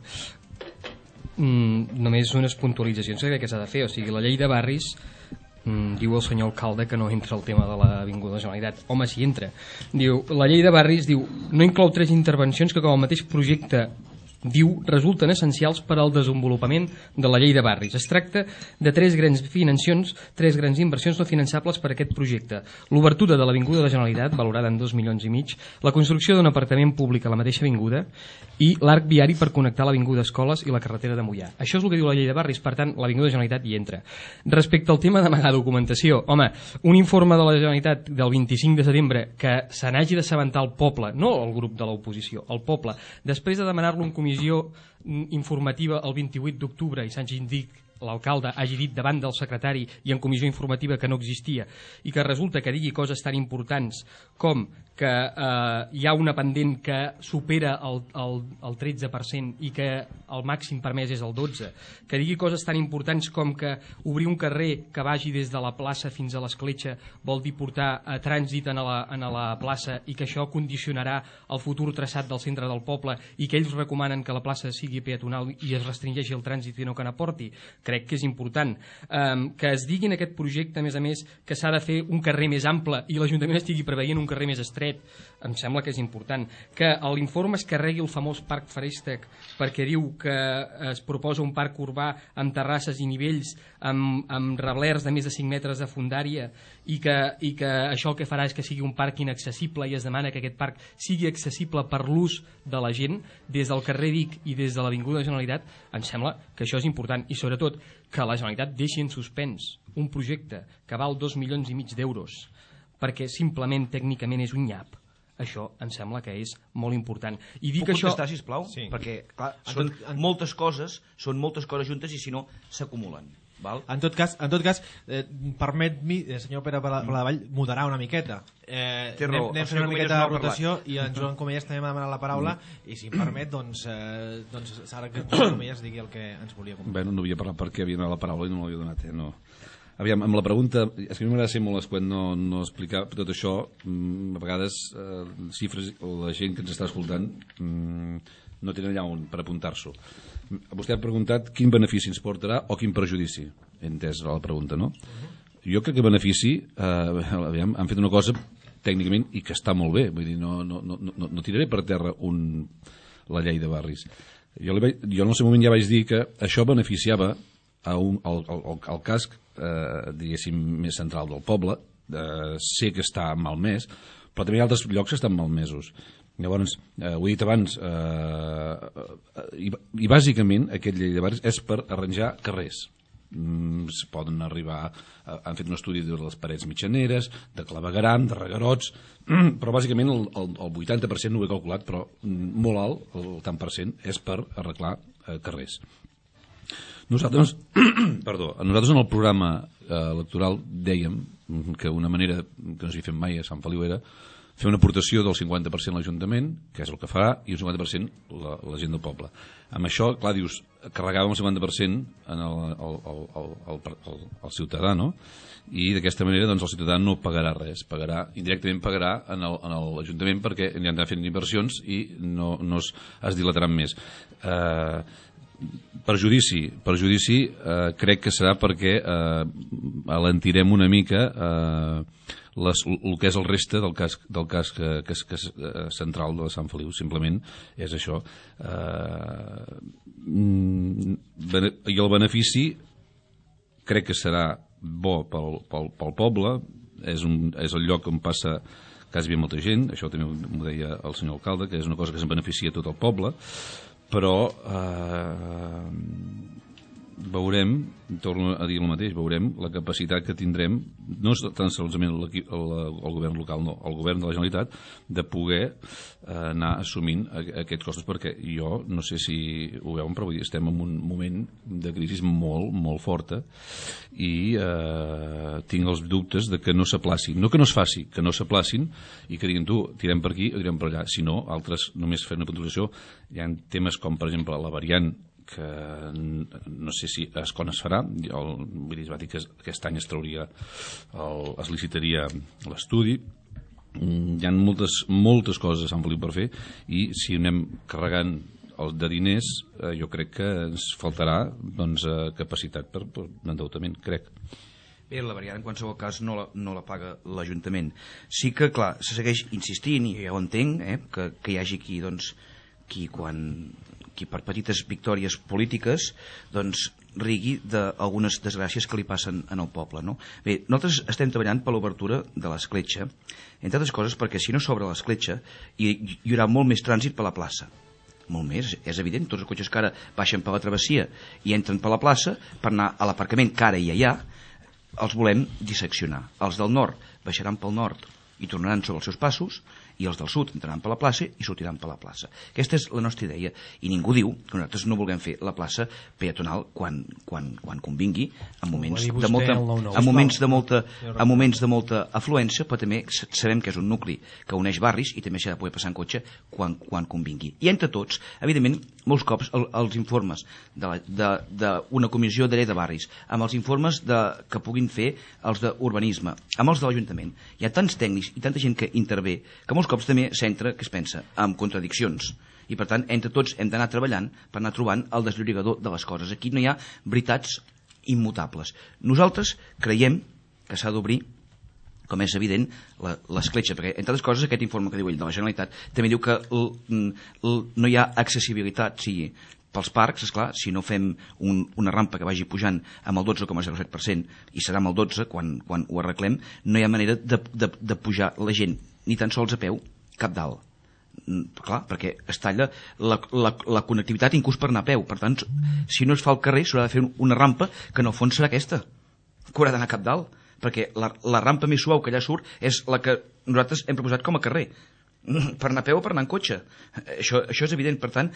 Mm, només unes puntualitzacions que crec que s'ha de fer, o sigui, la llei de barris Mm, diu el senyor alcalde que no entra el tema de l'Avinguda Generalitat. Home, si entra. Diu, la llei de barris diu, no inclou tres intervencions que com el mateix projecte diu, resulten essencials per al desenvolupament de la llei de barris. Es tracta de tres grans financions, tres grans inversions no finançables per a aquest projecte. L'obertura de l'Avinguda de la Generalitat, valorada en dos milions i mig, la construcció d'un apartament públic a la mateixa avinguda i l'arc viari per connectar l'Avinguda Escoles i la carretera de Moià. Això és el que diu la llei de barris, per tant, l'Avinguda de la Generalitat hi entra. Respecte al tema d'amagar documentació, home, un informe de la Generalitat del vint-i-cinc de setembre que se n'hagi d'assabentar el poble, no el grup de l'oposició, el poble, després de demanar-lo en comissió informativa el vint-i-vuit d'octubre i s'hagi dit, l'alcalde hagi dit davant del secretari i en comissió informativa que no existia i que resulta que digui coses tan importants com que eh, hi ha una pendent que supera el, el, el tretze per cent i que el màxim permès és el dotze per cent, que digui coses tan importants com que obrir un carrer que vagi des de la plaça fins a l'escletxa vol dir portar a trànsit en la, en la plaça i que això condicionarà el futur traçat del centre del poble i que ells recomanen que la plaça sigui peatonal i es restringeixi el trànsit i no que n'aporti. Crec que és important. Um, que es digui en aquest projecte, a més a més, que s'ha de fer un carrer més ample i l'Ajuntament estigui preveient un carrer més estret, em sembla que és important. Que a l'informe es carregui el famós parc Farestec perquè diu que es proposa un parc urbà amb terrasses i nivells, amb, amb reblers de més de cinc metres de fondària i que, i que això el que farà és que sigui un parc inaccessible i es demana que aquest parc sigui accessible per l'ús de la gent des del carrer Vic i des de l'Avinguda Generalitat. Em sembla que això és important i sobretot que la Generalitat deixi en suspens un projecte que val dos milions i mig d'euros perquè simplement tècnicament és un nyap. Això em sembla que és molt important. I dic Puc això... contestar, sisplau? Sí. Perquè, clar, són moltes coses, són moltes coses juntes i si no s'acumulen. Val? En tot cas, en tot cas eh, permet-mi, eh, senyor Pere Paladevall, moderar una miqueta. Eh, Té raó, anem, anem el fent senyor una Comelles miqueta no de ha parlat. rotació i en Joan Comelles també m'ha demanat la paraula i si em permet, doncs, eh, doncs ara que en Joan Comelles digui el que ens volia comentar. Bé, no havia parlat perquè havia donat la paraula i no me l'havia donat, eh? No. Aviam, amb la pregunta, és que a mi m'agrada ser molt escuet no, no explicar tot això, mm, a vegades eh, xifres, la gent que ens està escoltant mm, no tenen allà on per apuntar-s'ho. Vostè ha preguntat quin benefici ens portarà o quin perjudici, he entès la pregunta, no? Jo crec que benefici, eh, aviam, han fet una cosa tècnicament i que està molt bé, vull dir, no, no, no, no, no tiraré per terra un, la llei de barris. Jo, li vaig, jo en el seu moment ja vaig dir que això beneficiava a un, al, al, al casc eh, diguéssim més central del poble, eh, sé que està malmès, però també hi ha altres llocs que estan malmesos. Llavors, eh, ho he dit abans, eh, i, i bàsicament aquest llei de barris és per arranjar carrers. Mm, es poden arribar, eh, han fet un estudi de les parets mitjaneres, de clavegaram, de regarots, però bàsicament el, el, el vuitanta per cent no ho he calculat, però molt alt, el tant per cent, és per arreglar eh, carrers. Nosaltres, perdó, nosaltres en el programa eh, electoral dèiem que una manera que no s'hi fem mai a Sant Feliu era fer una aportació del cinquanta per cent a l'Ajuntament, que és el que farà, i un cinquanta per cent la, la gent del poble. Amb això, clar, dius, carregàvem el cinquanta per cent en el, el, el, el, el, el, el ciutadà, no? I d'aquesta manera doncs, el ciutadà no pagarà res, pagarà, indirectament pagarà en l'Ajuntament perquè ja han de fer inversions i no, no es, es dilataran més. Eh... Perjudici, perjudici eh, crec que serà perquè eh, alentirem una mica eh, les, el que és el reste del casc, del casc que, que, que és eh, central de Sant Feliu, simplement és això. Eh, I el benefici crec que serà bo pel, pel, pel poble, és, un, és el lloc on passa quasi bé molta gent, això també m'ho deia el senyor alcalde, que és una cosa que se'n beneficia tot el poble, però eh, veurem, torno a dir el mateix, veurem la capacitat que tindrem, no tan solament el, el, el govern local, no, el govern de la Generalitat, de poder eh, anar assumint aquests costos, perquè jo no sé si ho veuen, però estem en un moment de crisi molt, molt forta i eh, tinc els dubtes de que no s'aplacin, no que no es faci, que no s'aplacin i que diguin tu, tirem per aquí o tirem per allà, si no, altres només fer una puntuació, hi ha temes com per exemple la variant que no sé si es, quan es farà, el, vull dir, es va dir que aquest any es trauria, el, es licitaria l'estudi, hi ha moltes, moltes coses a Sant Feliu per fer i si anem carregant el de diners, eh, jo crec que ens faltarà doncs, eh, capacitat per, per endeutament, crec. Bé, la variant en qualsevol cas no la, no la paga l'Ajuntament. Sí que, clar, se segueix insistint, i ja ho entenc, eh, que, que hi hagi qui, doncs, qui, quan, qui per petites victòries polítiques doncs, rigui d'algunes desgràcies que li passen en el poble. No? Bé, nosaltres estem treballant per l'obertura de l'escletxa, entre altres coses perquè si no s'obre l'escletxa hi, hi haurà molt més trànsit per la plaça. Molt més, és evident, tots els cotxes que ara baixen per la travessia i entren per la plaça per anar a l'aparcament que ara hi ha, els volem disseccionar. Els del nord baixaran pel nord i tornaran sobre els seus passos, i els del sud entraran per la plaça i sortiran per la plaça. Aquesta és la nostra idea, i ningú diu que nosaltres no vulguem fer la plaça peatonal quan, quan, quan convingui, en moments de molta, en moments de molta, en moments de molta afluència, però també sabem que és un nucli que uneix barris i també s'ha de poder passar en cotxe quan, quan convingui. I entre tots, evidentment, molts cops el, els informes d'una comissió de llei de barris, amb els informes de, que puguin fer els d'urbanisme, amb els de l'Ajuntament, hi ha tants tècnics i tanta gent que intervé que molts cops també s'entra, que es pensa, amb contradiccions. I per tant, entre tots hem d'anar treballant per anar trobant el desllorigador de les coses. Aquí no hi ha veritats immutables. Nosaltres creiem que s'ha d'obrir, com és evident, l'escletxa, perquè, entre altres coses, aquest informe que diu ell de la Generalitat també diu que l, l, no hi ha accessibilitat, sigui pels parcs, esclar, si no fem un, una rampa que vagi pujant amb el dotze coma zero set per cent i serà amb el dotze per cent quan, quan ho arreglem, no hi ha manera de, de, de pujar la gent ni tan sols a peu, cap dalt. Clar, perquè es talla la, la, la connectivitat inclús per anar a peu. Per tant, si no es fa al carrer, s'haurà de fer una rampa que en el fons serà aquesta, que haurà d'anar cap dalt, perquè la, la rampa més suau que allà surt és la que nosaltres hem proposat com a carrer, per anar a peu o per anar en cotxe. Això, això és evident. Per tant,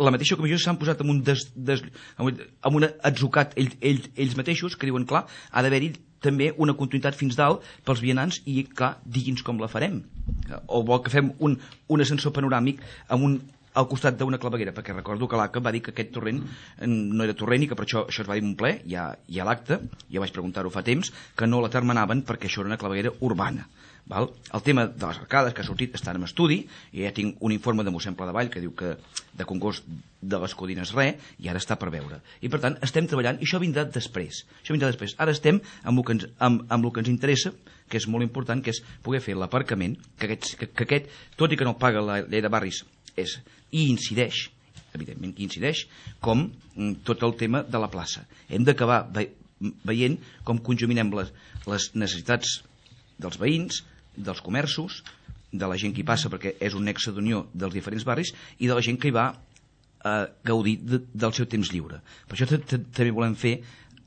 la mateixa comissió s'han posat amb un, des, des, amb un atzucat ells, ells, ells mateixos, que diuen, clar, ha d'haver-hi també una continuïtat fins dalt pels vianants i, clar, digui'ns com la farem. O vol que fem un, un ascensor panoràmic amb un, al costat d'una claveguera, perquè recordo que l'A C A va dir que aquest torrent no era torrent i que per això això es va dir en un ple, hi ha, hi ha l'acte, ja vaig preguntar-ho fa temps, que no la terminaven perquè això era una claveguera urbana. Val? El tema de les arcades que ha sortit està en estudi, i ja tinc un informe de mossèn Pladevall que diu que de congost de les Codines res, i ara està per veure. I per tant estem treballant, i això vindrà després. Això vindrà després. Ara estem amb el que ens, amb, amb el que ens interessa, que és molt important, que és poder fer l'aparcament, que, aquest, que, que aquest, tot i que no paga la llei de barris, és, i incideix, evidentment que incideix, com tot el tema de la plaça. Hem d'acabar ve, veient com conjuminem les, les necessitats dels veïns, dels comerços, de la gent que hi passa perquè és un nexe d'unió dels diferents barris i de la gent que hi va a gaudir de, del seu temps lliure. Per això també volem fer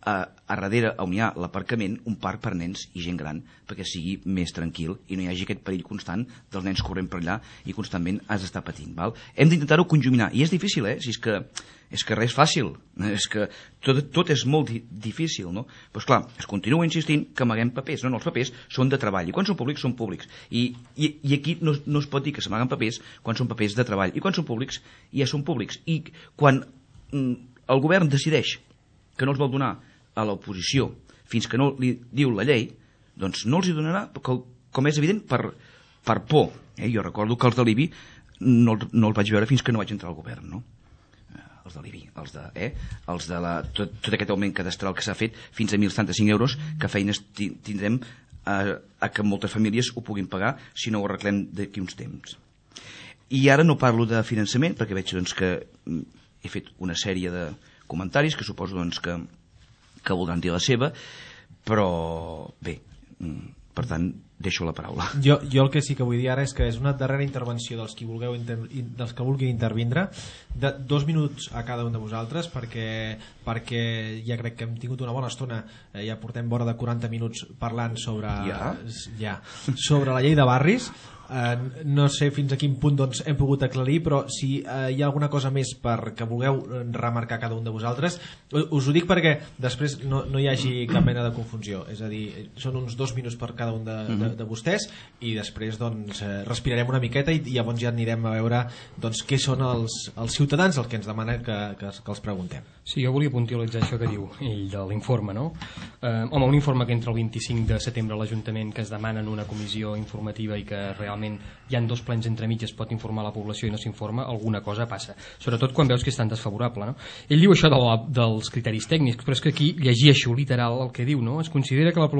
a, a darrere on hi ha l'aparcament un parc per nens i gent gran perquè sigui més tranquil i no hi hagi aquest perill constant dels nens corrent per allà i constantment has d'estar patint. Val? Hem d'intentar-ho conjuminar i és difícil, eh? Si és que és que res és fàcil, és que tot, tot és molt di difícil, no? Doncs pues clar, es continua insistint que amaguem papers, no, no, els papers són de treball, i quan són públics, són públics, i, i, i aquí no, no es pot dir que s'amaguen papers quan són papers de treball, i quan són públics, ja són públics, i quan mm, el govern decideix que no els vol donar a l'oposició fins que no li diu la llei, doncs no els hi donarà, com és evident, per, per por. Eh? Jo recordo que els de l'I B I no, no els vaig veure fins que no vaig entrar al govern, no? Els de l'I B I, els de, eh? els de la, tot, tot aquest augment cadastral que s'ha fet fins a mil setanta-cinc euros, que feines tindrem a, a que moltes famílies ho puguin pagar si no ho arreglem d'aquí uns temps. I ara no parlo de finançament, perquè veig doncs, que he fet una sèrie de comentaris que suposo doncs, que, que voldran dir la seva, però bé, per tant, deixo la paraula. Jo, jo el que sí que vull dir ara és que és una darrera intervenció dels, qui vulgueu inter... dels que vulguin intervindre, de dos minuts a cada un de vosaltres, perquè, perquè ja crec que hem tingut una bona estona, eh, ja portem vora de quaranta minuts parlant sobre, ja? Ja, sobre la llei de barris. Uh, no sé fins a quin punt doncs, hem pogut aclarir, però si uh, hi ha alguna cosa més per que vulgueu remarcar cada un de vosaltres, us ho dic perquè després no, no hi hagi cap mena de confusió, és a dir, són uns dos minuts per cada un de, de, de vostès i després doncs, respirarem una miqueta i, i llavors ja anirem a veure doncs, què són els, els ciutadans el que ens demanen que, que, que els preguntem. Sí, jo volia puntualitzar això que diu ell de l'informe, no? Eh, home, un informe que entra el vint-i-cinc de setembre a l'Ajuntament, que es demana en una comissió informativa i que realment realment hi ha dos plens entremig, es pot informar la població i no s'informa, alguna cosa passa, sobretot quan veus que és tan desfavorable, no? Ell diu això de la, dels criteris tècnics, però és que aquí llegeixo literal el que diu, no? Es considera que la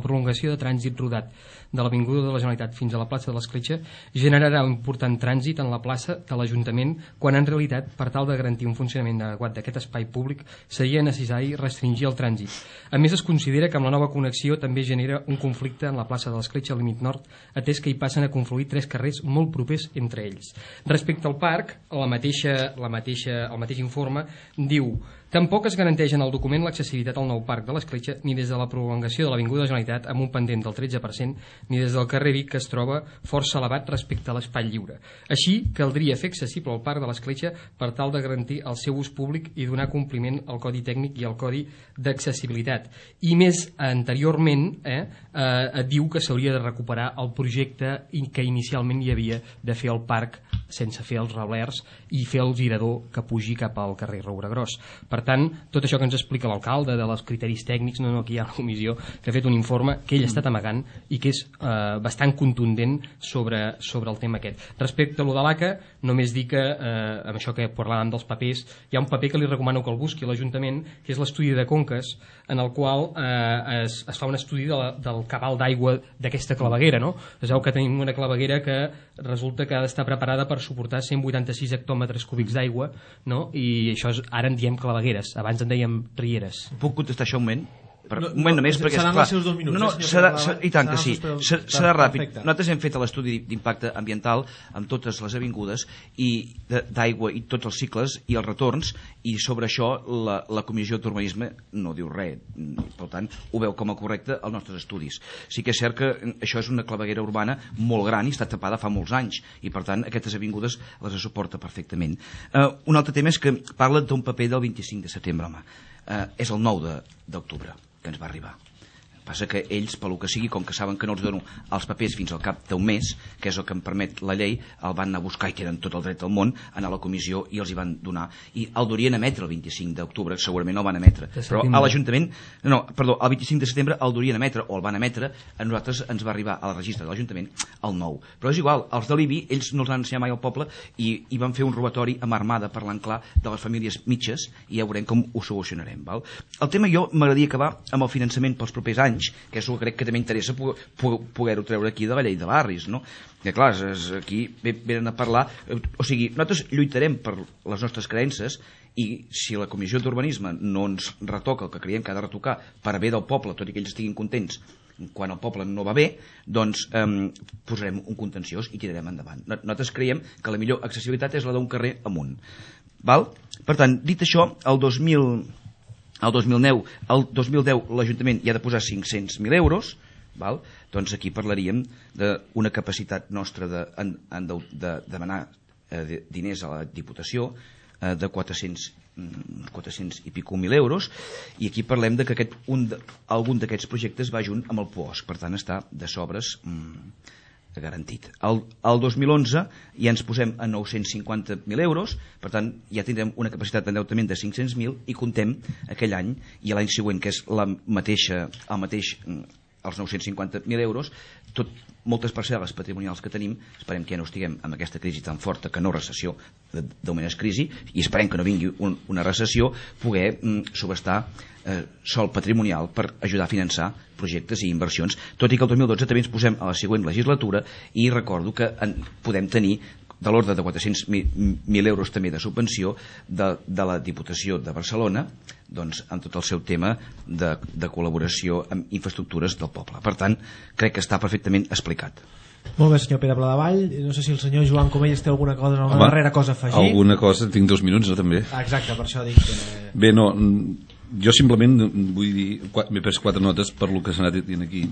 prolongació de trànsit rodat de l'Avinguda de la Generalitat fins a la plaça de l'Escletxa generarà un important trànsit en la plaça de l'Ajuntament, quan en realitat, per tal de garantir un funcionament adequat d'aquest espai públic, seria necessari restringir el trànsit. A més, es considera que amb la nova connexió també genera un conflicte en la plaça de l'Escletxa al límit nord, atès que hi passen a confluir tres carrers molt propers entre ells. Respecte al parc, la mateixa, la mateixa, el mateix informe diu: tampoc es garanteix en el document l'accessibilitat al nou parc de l'Escletxa ni des de la prolongació de l'Avinguda de la Generalitat amb un pendent del tretze per cent ni des del carrer Vic, que es troba força elevat respecte a l'espai lliure. Així, caldria fer accessible el parc de l'Escletxa per tal de garantir el seu ús públic i donar compliment al Codi Tècnic i al Codi d'Accessibilitat. I més anteriorment eh, eh, diu que s'hauria de recuperar el projecte que inicialment hi havia de fer el parc sense fer els reblers i fer el girador que pugi cap al carrer Roure Gros. Per tant, tot això que ens explica l'alcalde de els criteris tècnics, no, no, aquí hi ha la comissió que ha fet un informe que ell ha estat amagant i que és eh, bastant contundent sobre, sobre el tema aquest. Respecte a lo de l'A C A, només dir que, eh, amb això que parlàvem dels papers, hi ha un paper que li recomano que el busqui a l'Ajuntament, que és l'estudi de conques, en el qual eh, es, es fa un estudi de la, del cabal d'aigua d'aquesta claveguera, no? Es veu que tenim una claveguera que resulta que ha d'estar preparada per suportar cent vuitanta-sis hectòmetres cúbics d'aigua, no? I això és, ara en diem clavegueres, abans en dèiem rieres. Puc contestar això un moment? Per, no, un moment no, només, perquè seran esclar, els seus dos minuts, no, no, eh, serà, senyor serà, i tant que sí, serà, serà ràpid. Perfecte. Nosaltres hem fet l'estudi d'impacte ambiental amb totes les avingudes i d'aigua i tots els cicles i els retorns, i sobre això la, la Comissió d'Urbanisme no diu res, per tant ho veu com a correcte als nostres estudis. Sí que és cert que això és una claveguera urbana molt gran i està tapada fa molts anys, i per tant aquestes avingudes les suporta perfectament. Uh, un altre tema és que parla d'un paper del vint-i-cinc de setembre, home. Uh, és el nou d'octubre que ens va arribar. Passa que ells, pel que sigui, com que saben que no els dono els papers fins al cap d'un mes, que és el que em permet la llei, el van anar a buscar, i tenen tot el dret del món, anar a la comissió i els hi van donar. I el durien emetre el vint-i-cinc d'octubre, segurament no el van emetre. Però a l'Ajuntament, no, perdó, el vint-i-cinc de setembre el durien emetre, o el van emetre, a nosaltres ens va arribar al registre de l'Ajuntament el nou. Però és igual, els de l'I B I, ells no els han ensenyat mai al poble, i, i van fer un robatori amb armada, parlant clar, de les famílies mitges, i ja veurem com ho solucionarem. Val? El tema, jo m'agradaria acabar amb el finançament pels propers anys, que és el que crec que també interessa poder-ho treure aquí de la llei de barris, no? Que clar, és, aquí venen a parlar, o sigui, nosaltres lluitarem per les nostres creences, i si la Comissió d'Urbanisme no ens retoca el que creiem que ha de retocar per a bé del poble, tot i que ells estiguin contents quan el poble no va bé, doncs eh, posarem un contenciós i tirarem endavant. Nosaltres creiem que la millor accessibilitat és la d'un carrer amunt. Val? Per tant, dit això, el dos mil el dos mil deu, el dos mil deu l'Ajuntament hi ha de posar cinc-cents mil euros, val? Doncs aquí parlaríem d'una capacitat nostra de, de, de demanar eh, diners a la Diputació eh, de quatre-cents, quatre-cents i pico mil euros, i aquí parlem de que aquest, un de, algun d'aquests projectes va junt amb el P O S, per tant està de sobres mm, garantit. El, el dos mil onze ja ens posem a nou-cents cinquanta mil euros, per tant ja tindrem una capacitat d'endeutament de cinc-cents mil, i contem aquell any i l'any següent, que és la mateixa, el mateix, els nou-cents cinquanta mil euros, tot, moltes parcel·les patrimonials que tenim, esperem que ja no estiguem amb aquesta crisi tan forta, que no recessió, d'augment és crisi, i esperem que no vingui un, una recessió, poder mm, subestar eh, sol patrimonial per ajudar a finançar projectes i inversions, tot i que el dos mil dotze també ens posem a la següent legislatura, i recordo que en, podem tenir de l'ordre de quatre-cents mil euros també de subvenció de, de la Diputació de Barcelona, doncs, en tot el seu tema de, de col·laboració amb infraestructures del poble. Per tant, crec que està perfectament explicat. Molt bé, senyor Pere Pladevall. No sé si el senyor Joan Comelles té alguna cosa, alguna Home, darrera cosa a afegir. Alguna cosa, tinc dos minuts, no, també. Ah, exacte, per això dic que... Bé, no, jo simplement vull dir, m'he pres quatre notes per lo que s'ha anat dient aquí,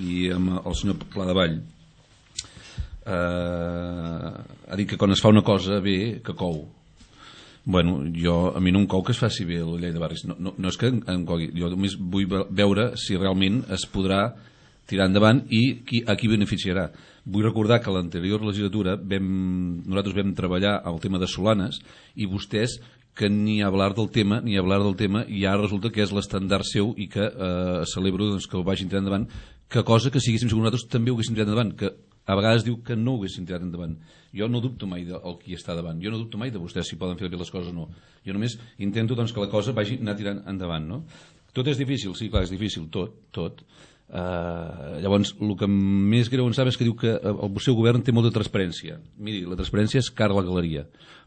i amb el senyor Pladevall eh, ha dit que quan es fa una cosa bé, que cou. Bueno, jo, a mi no em cou que es faci bé la llei de barris, no, no, no és que em cogui, jo només vull veure si realment es podrà tirar endavant i qui, a qui beneficiarà. Vull recordar que a l'anterior legislatura vam, nosaltres vam treballar el tema de Solanes, i vostès, que ni hablar del tema, ni hablar del tema, i ja resulta que és l'estandard seu, i que eh, celebro doncs, que ho vagin tirant endavant, que cosa que si haguéssim sigut nosaltres també ho haguéssim tirat endavant, que a vegades diu que no ho haguessin tirat endavant. Jo no dubto mai del qui està davant, jo no dubto mai de vostès si poden fer bé les coses o no. Jo només intento doncs, que la cosa vagi anar tirant endavant, no? Tot és difícil, sí, clar, és difícil, tot, tot. Uh, llavors, el que més greu en sap és que diu que el seu govern té molta transparència. Miri, la transparència és cara a la galeria.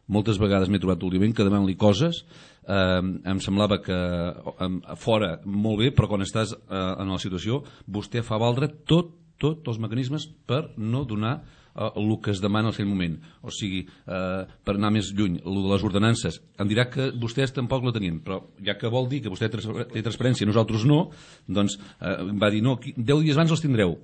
Moltes vegades m'he trobat últimament que demanant-li coses eh, em semblava que eh, fora molt bé, però quan estàs eh, en la situació vostè fa valdre tot, tot els mecanismes per no donar eh, el que es demana en aquell moment. O sigui, eh, per anar més lluny, el de les ordenances, em dirà que vostès tampoc la tenien, però ja que vol dir que vostè té transparència i nosaltres no, doncs eh, va dir, no, deu dies abans els tindreu.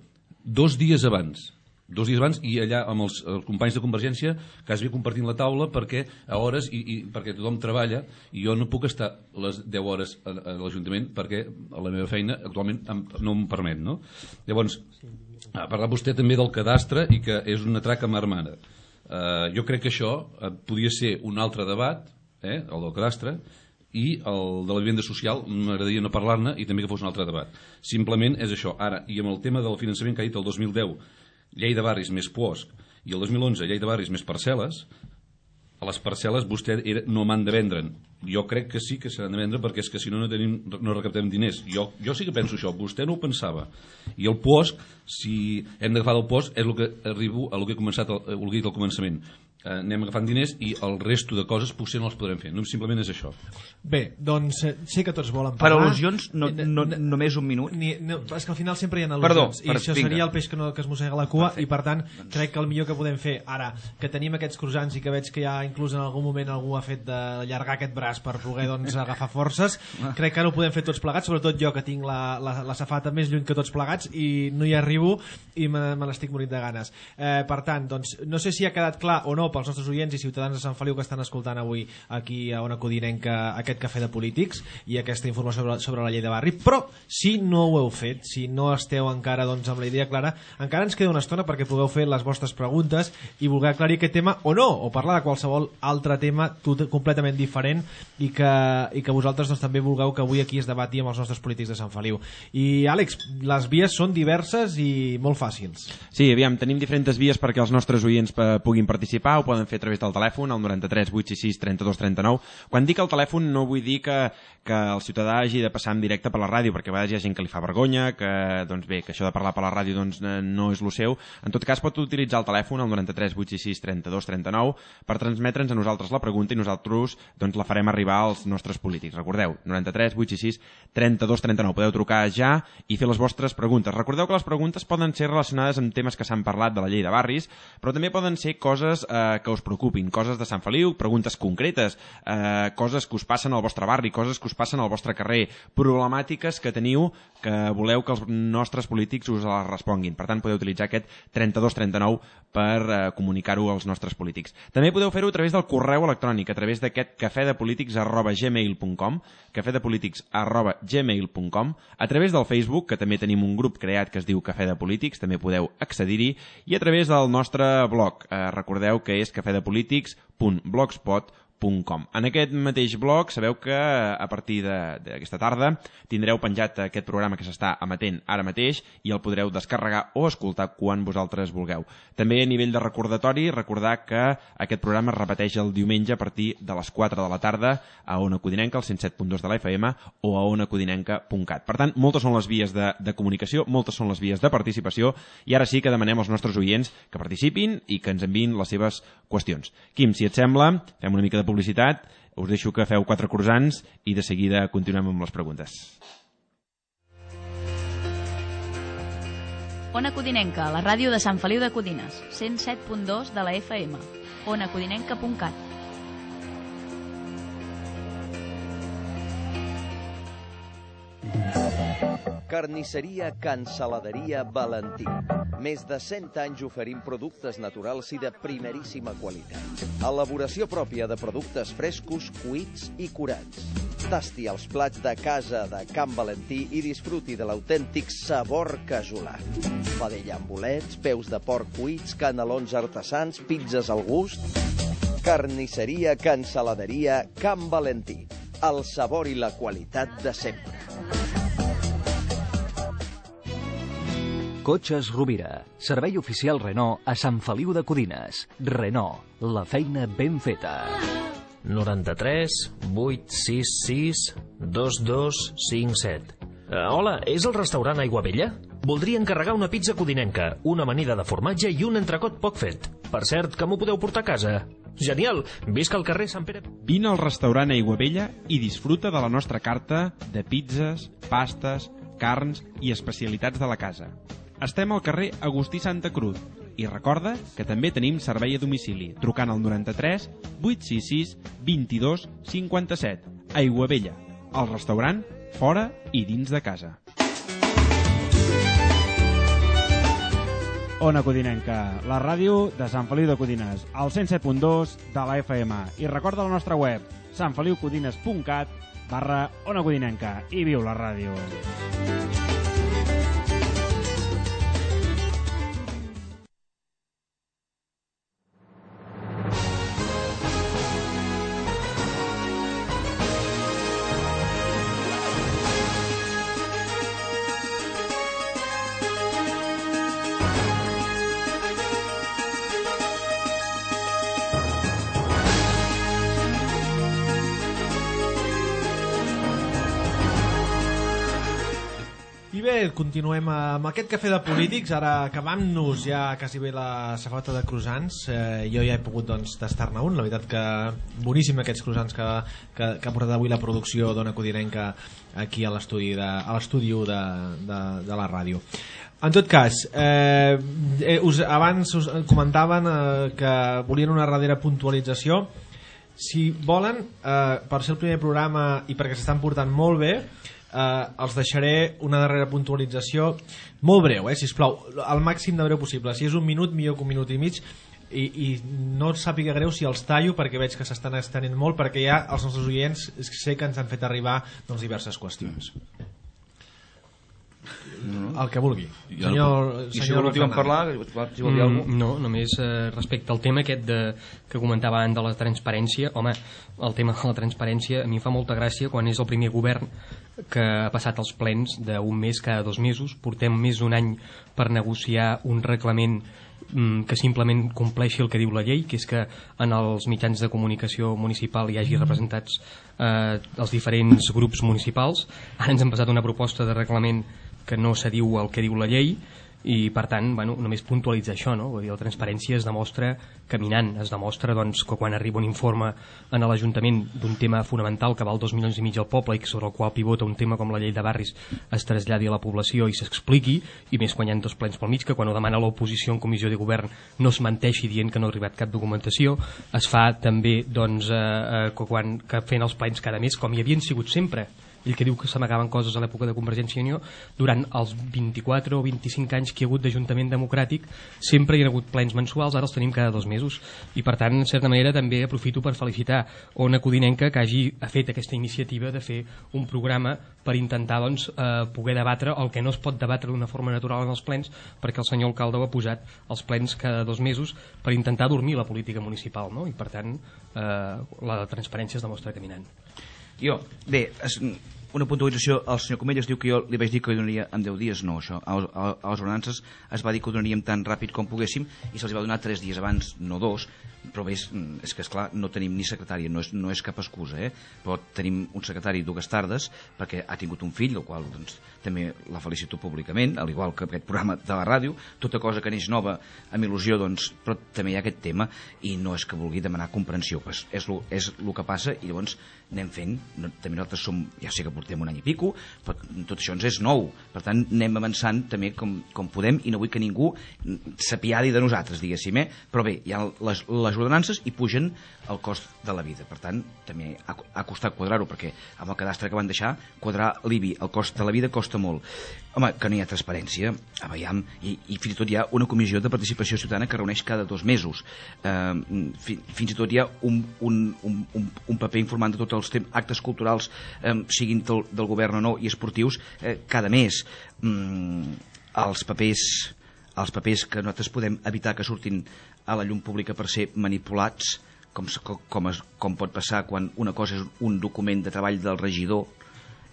Dos dies abans. Dos dies abans, i allà amb els, els companys de Convergència quasi compartint la taula perquè a hores, i, i perquè tothom treballa, i jo no puc estar les deu hores a, a l'Ajuntament perquè la meva feina actualment em, no em permet, no? Llavors, ha parlat vostè també del cadastre i que és una traca marmana. Uh, jo crec que això uh, podia ser un altre debat, eh, el del cadastre, i el de la vivenda social m'agradaria no parlar-ne i també que fos un altre debat. Simplement és això. Ara, i amb el tema del finançament que ha dit el dos mil deu, llei de barris més P O S C, i el dos mil onze llei de barris més parcel·les, a les parcel·les vostè era, no m'han de vendre'n. Jo crec que sí que s'han de vendre perquè és que si no no, tenim, no recaptem diners. Jo, jo sí que penso això, vostè no ho pensava. I el P O S C, si hem d'agafar del P O S C, és el que arribo a el que he començat el, el que he dit al començament. Eh, anem agafant diners i el resto de coses potser no els podrem fer. No, simplement és això. Bé, doncs eh, sé que tots volen Per parlar. al·lusions, no, no, només un minut. Ni, no, és que al final sempre hi ha al·lusions. Perdó, I per- això vinga. seria el peix que, no, que es mossega la cua. Perfecte. I per tant, crec que el millor que podem fer ara, que tenim aquests croissants i que veig que ja inclús en algun moment algú ha fet d'allargar aquest braç per poder doncs, agafar forces, crec que ara ho podem fer tots plegats, sobretot jo que tinc la, la, la safata més lluny que tots plegats i no hi arribo i me, me l'estic morint de ganes. Eh, per tant, doncs, no sé si ha quedat clar o no pels nostres oients i ciutadans de Sant Feliu que estan escoltant avui aquí a Ona Codinenca aquest cafè de polítics i aquesta informació sobre, sobre la llei de barri, però si no ho heu fet, si no esteu encara doncs, amb la idea clara, encara ens queda una estona perquè pugueu fer les vostres preguntes i voler aclarir aquest tema o no, o parlar de qualsevol altre tema tot, completament diferent i que, i que vosaltres doncs, també vulgueu que avui aquí es debati amb els nostres polítics de Sant Feliu. I Àlex, les vies són diverses i molt fàcils. Sí, aviam, tenim diferents vies perquè els nostres oients eh, puguin participar, ho poden fer a través del telèfon, al noranta-tres vuit sis sis trenta dos trenta nou. Quan dic el telèfon no vull dir que, que el ciutadà hagi de passar en directe per la ràdio, perquè a vegades hi ha gent que li fa vergonya, que, doncs bé, que això de parlar per la ràdio doncs, no és el seu. En tot cas, pot utilitzar el telèfon, al noranta-tres vuit sis sis trenta dos trenta nou, per transmetre'ns a nosaltres la pregunta i nosaltres doncs, la farem arribar als nostres polítics. Recordeu, noranta-tres vuit sis sis trenta dos trenta nou. Podeu trucar ja i fer les vostres preguntes. Recordeu que les preguntes poden ser relacionades amb temes que s'han parlat de la llei de barris, però també poden ser coses eh, que us preocupin, coses de Sant Feliu, preguntes concretes, eh, coses que us passen al vostre barri, coses que us passen al vostre carrer, problemàtiques que teniu que voleu que els nostres polítics us les responguin. Per tant, podeu utilitzar aquest trenta dos trenta nou per eh, comunicar-ho als nostres polítics. També podeu fer-ho a través del correu electrònic, a través d'aquest cafedepolítics arroba gmail punt com, cafedepolítics arroba gmail punt com, a través del Facebook, que també tenim un grup creat que es diu Cafè de Polítics, també podeu accedir-hi, i a través del nostre blog. Eh, recordeu que és cafedepolítics punt blogspot punt com. En aquest mateix blog sabeu que a partir d'aquesta tarda tindreu penjat aquest programa que s'està emetent ara mateix i el podreu descarregar o escoltar quan vosaltres vulgueu. També a nivell de recordatori, recordar que aquest programa es repeteix el diumenge a partir de les quatre de la tarda a Ona Codinenca, al cent set punt dos de la F M o a ona codinenca punt cat. Per tant, moltes són les vies de, de comunicació, moltes són les vies de participació i ara sí que demanem als nostres oients que participin i que ens enviïn les seves qüestions. Quim, si et sembla, fem una mica de publicitat, us deixo que feu quatre croissants i de seguida continuem amb les preguntes. Ona Codinenca, la ràdio de Sant Feliu de Codines, cent set punt dos de la F M, ona codinenca punt cat. Carnisseria Cansaladeria Valentí. Més de cent anys oferint productes naturals i de primeríssima qualitat. Elaboració pròpia de productes frescos, cuits i curats. Tasti els plats de casa de Can Valentí i disfruti de l'autèntic sabor casolà. Padella amb bolets, peus de porc cuits, canelons artesans, pizzas al gust. Carnisseria Cansaladeria Can Valentí. El sabor i la qualitat de sempre. Cotxes Rovira, servei oficial Renault a Sant Feliu de Codines. Renault, la feina ben feta. noranta-tres vuit sis sis dos dos cinc set. Uh, hola, és el restaurant Aiguavella? Voldria encarregar una pizza codinenca, una amanida de formatge i un entrecot poc fet. Per cert, que m'ho podeu portar a casa? Genial! Visca al carrer Sant Pere... Vine al restaurant Aiguavella i disfruta de la nostra carta de pizzas, pastes, carns i especialitats de la casa. Estem al carrer Agustí Santa Cruz i recorda que també tenim servei a domicili trucant al noranta-tres vuit sis sis vint-i-dos cinquanta-set. Aiguavella, el restaurant fora i dins de casa. Ona Codinenca, la ràdio de Sant Feliu de Codines, al cent set punt dos de la F M. I recorda la nostra web, santfeliucodines punt cat barra Ona Codinenca. I viu la ràdio! Bé, continuem amb aquest cafè de polítics. Ara acabant-nos ja quasi bé la safata de croissants. Eh, jo ja he pogut doncs, tastar-ne un. La veritat que boníssim aquests croissants que, que, que ha portat avui la producció d'Ona Codinenca aquí a l'estudi de, a l'estudi de, de, de la ràdio. En tot cas, eh, us, abans us comentaven eh, que volien una darrera puntualització. Si volen, eh, per ser el primer programa i perquè s'estan portant molt bé, Uh, els deixaré una darrera puntualització molt breu, eh, sisplau, al màxim de breu possible. Si és un minut, millor que un minut i mig, i, i no et sàpiga greu si els tallo perquè veig que s'estan estenent molt, perquè ja els nostres oients sé que ens han fet arribar doncs, diverses qüestions. No. El que vulgui. Senyor, I si volíem parlar, si vol dir alguna cosa? No, només eh, respecte al tema aquest de, que comentava abans de la transparència. Home, el tema de la transparència a mi em fa molta gràcia quan és el primer govern que ha passat els plens d'un mes cada dos mesos. Portem més d'un any per negociar un reglament mm, que simplement compleixi el que diu la llei, que és que en els mitjans de comunicació municipal hi hagi representats eh, els diferents grups municipals. Ara ens han passat una proposta de reglament que no se diu el que diu la llei i per tant, bueno, només puntualitzar això, no? Vull dir, la transparència es demostra caminant, es demostra doncs, que quan arriba un informe en l'Ajuntament d'un tema fonamental que val dos milions i mig al poble i sobre el qual pivota un tema com la llei de barris es traslladi a la població i s'expliqui, i més quan hi ha dos plens pel mig, que quan ho demana l'oposició en comissió de govern no es menteixi dient que no ha arribat cap documentació. Es fa també doncs, eh, eh, quan, que fent els plens cada mes, com hi havien sigut sempre. Ell que diu que s'amagaven coses a l'època de Convergència i Unió, durant els vint-i-quatre o vint-i-cinc anys que hi ha hagut d'Ajuntament Democràtic sempre hi ha hagut plens mensuals, ara els tenim cada dos mesos, i per tant, en certa manera, també aprofito per felicitar Ona Codinenca que hagi fet aquesta iniciativa de fer un programa per intentar doncs, eh, poder debatre el que no es pot debatre d'una forma natural en els plens, perquè el senyor alcalde ho ha posat els plens cada dos mesos per intentar dormir la política municipal, no? I per tant eh, la transparència es demostra caminant. Jo, bé, es, una puntualització, el senyor Comelles diu que jo li vaig dir que ho donaria en deu dies, no, això. A, a, a les ordenances es va dir que ho donaríem tan ràpid com poguéssim i se'ls va donar tres dies abans, no dos, però bé, és, és que esclar, no tenim ni secretària, no és, no és cap excusa, eh? Però tenim un secretari dues tardes perquè ha tingut un fill, el qual doncs, també la felicito públicament, al igual que aquest programa de la ràdio, tota cosa que neix nova amb il·lusió, doncs, però també hi ha aquest tema i no és que vulgui demanar comprensió, pues és el és lo que passa i llavors anem fent, no, també nosaltres som, ja sé que portem un any i pico, però tot això ens és nou, per tant anem avançant també com, com podem i no vull que ningú s'apiadi de nosaltres, diguéssim, eh? Però bé, hi ha les, les ordenances i pugen el cost de la vida, per tant també ha, ha costat quadrar-ho, perquè amb el cadastre que van deixar, quadrar l'I B I, el cost de la vida costa molt. Home, que no hi ha transparència, a veiem, i, i fins i tot hi ha una comissió de participació ciutadana que reuneix cada dos mesos, eh, fi, fins i tot hi ha un, un, un, un, un paper informant de tots els actes culturals, eh, siguin del, del govern o no, i esportius, eh, cada mes. Mm, els papers els papers que nosaltres podem evitar que surtin a la llum pública per ser manipulats, com, com, es, com pot passar quan una cosa és un document de treball del regidor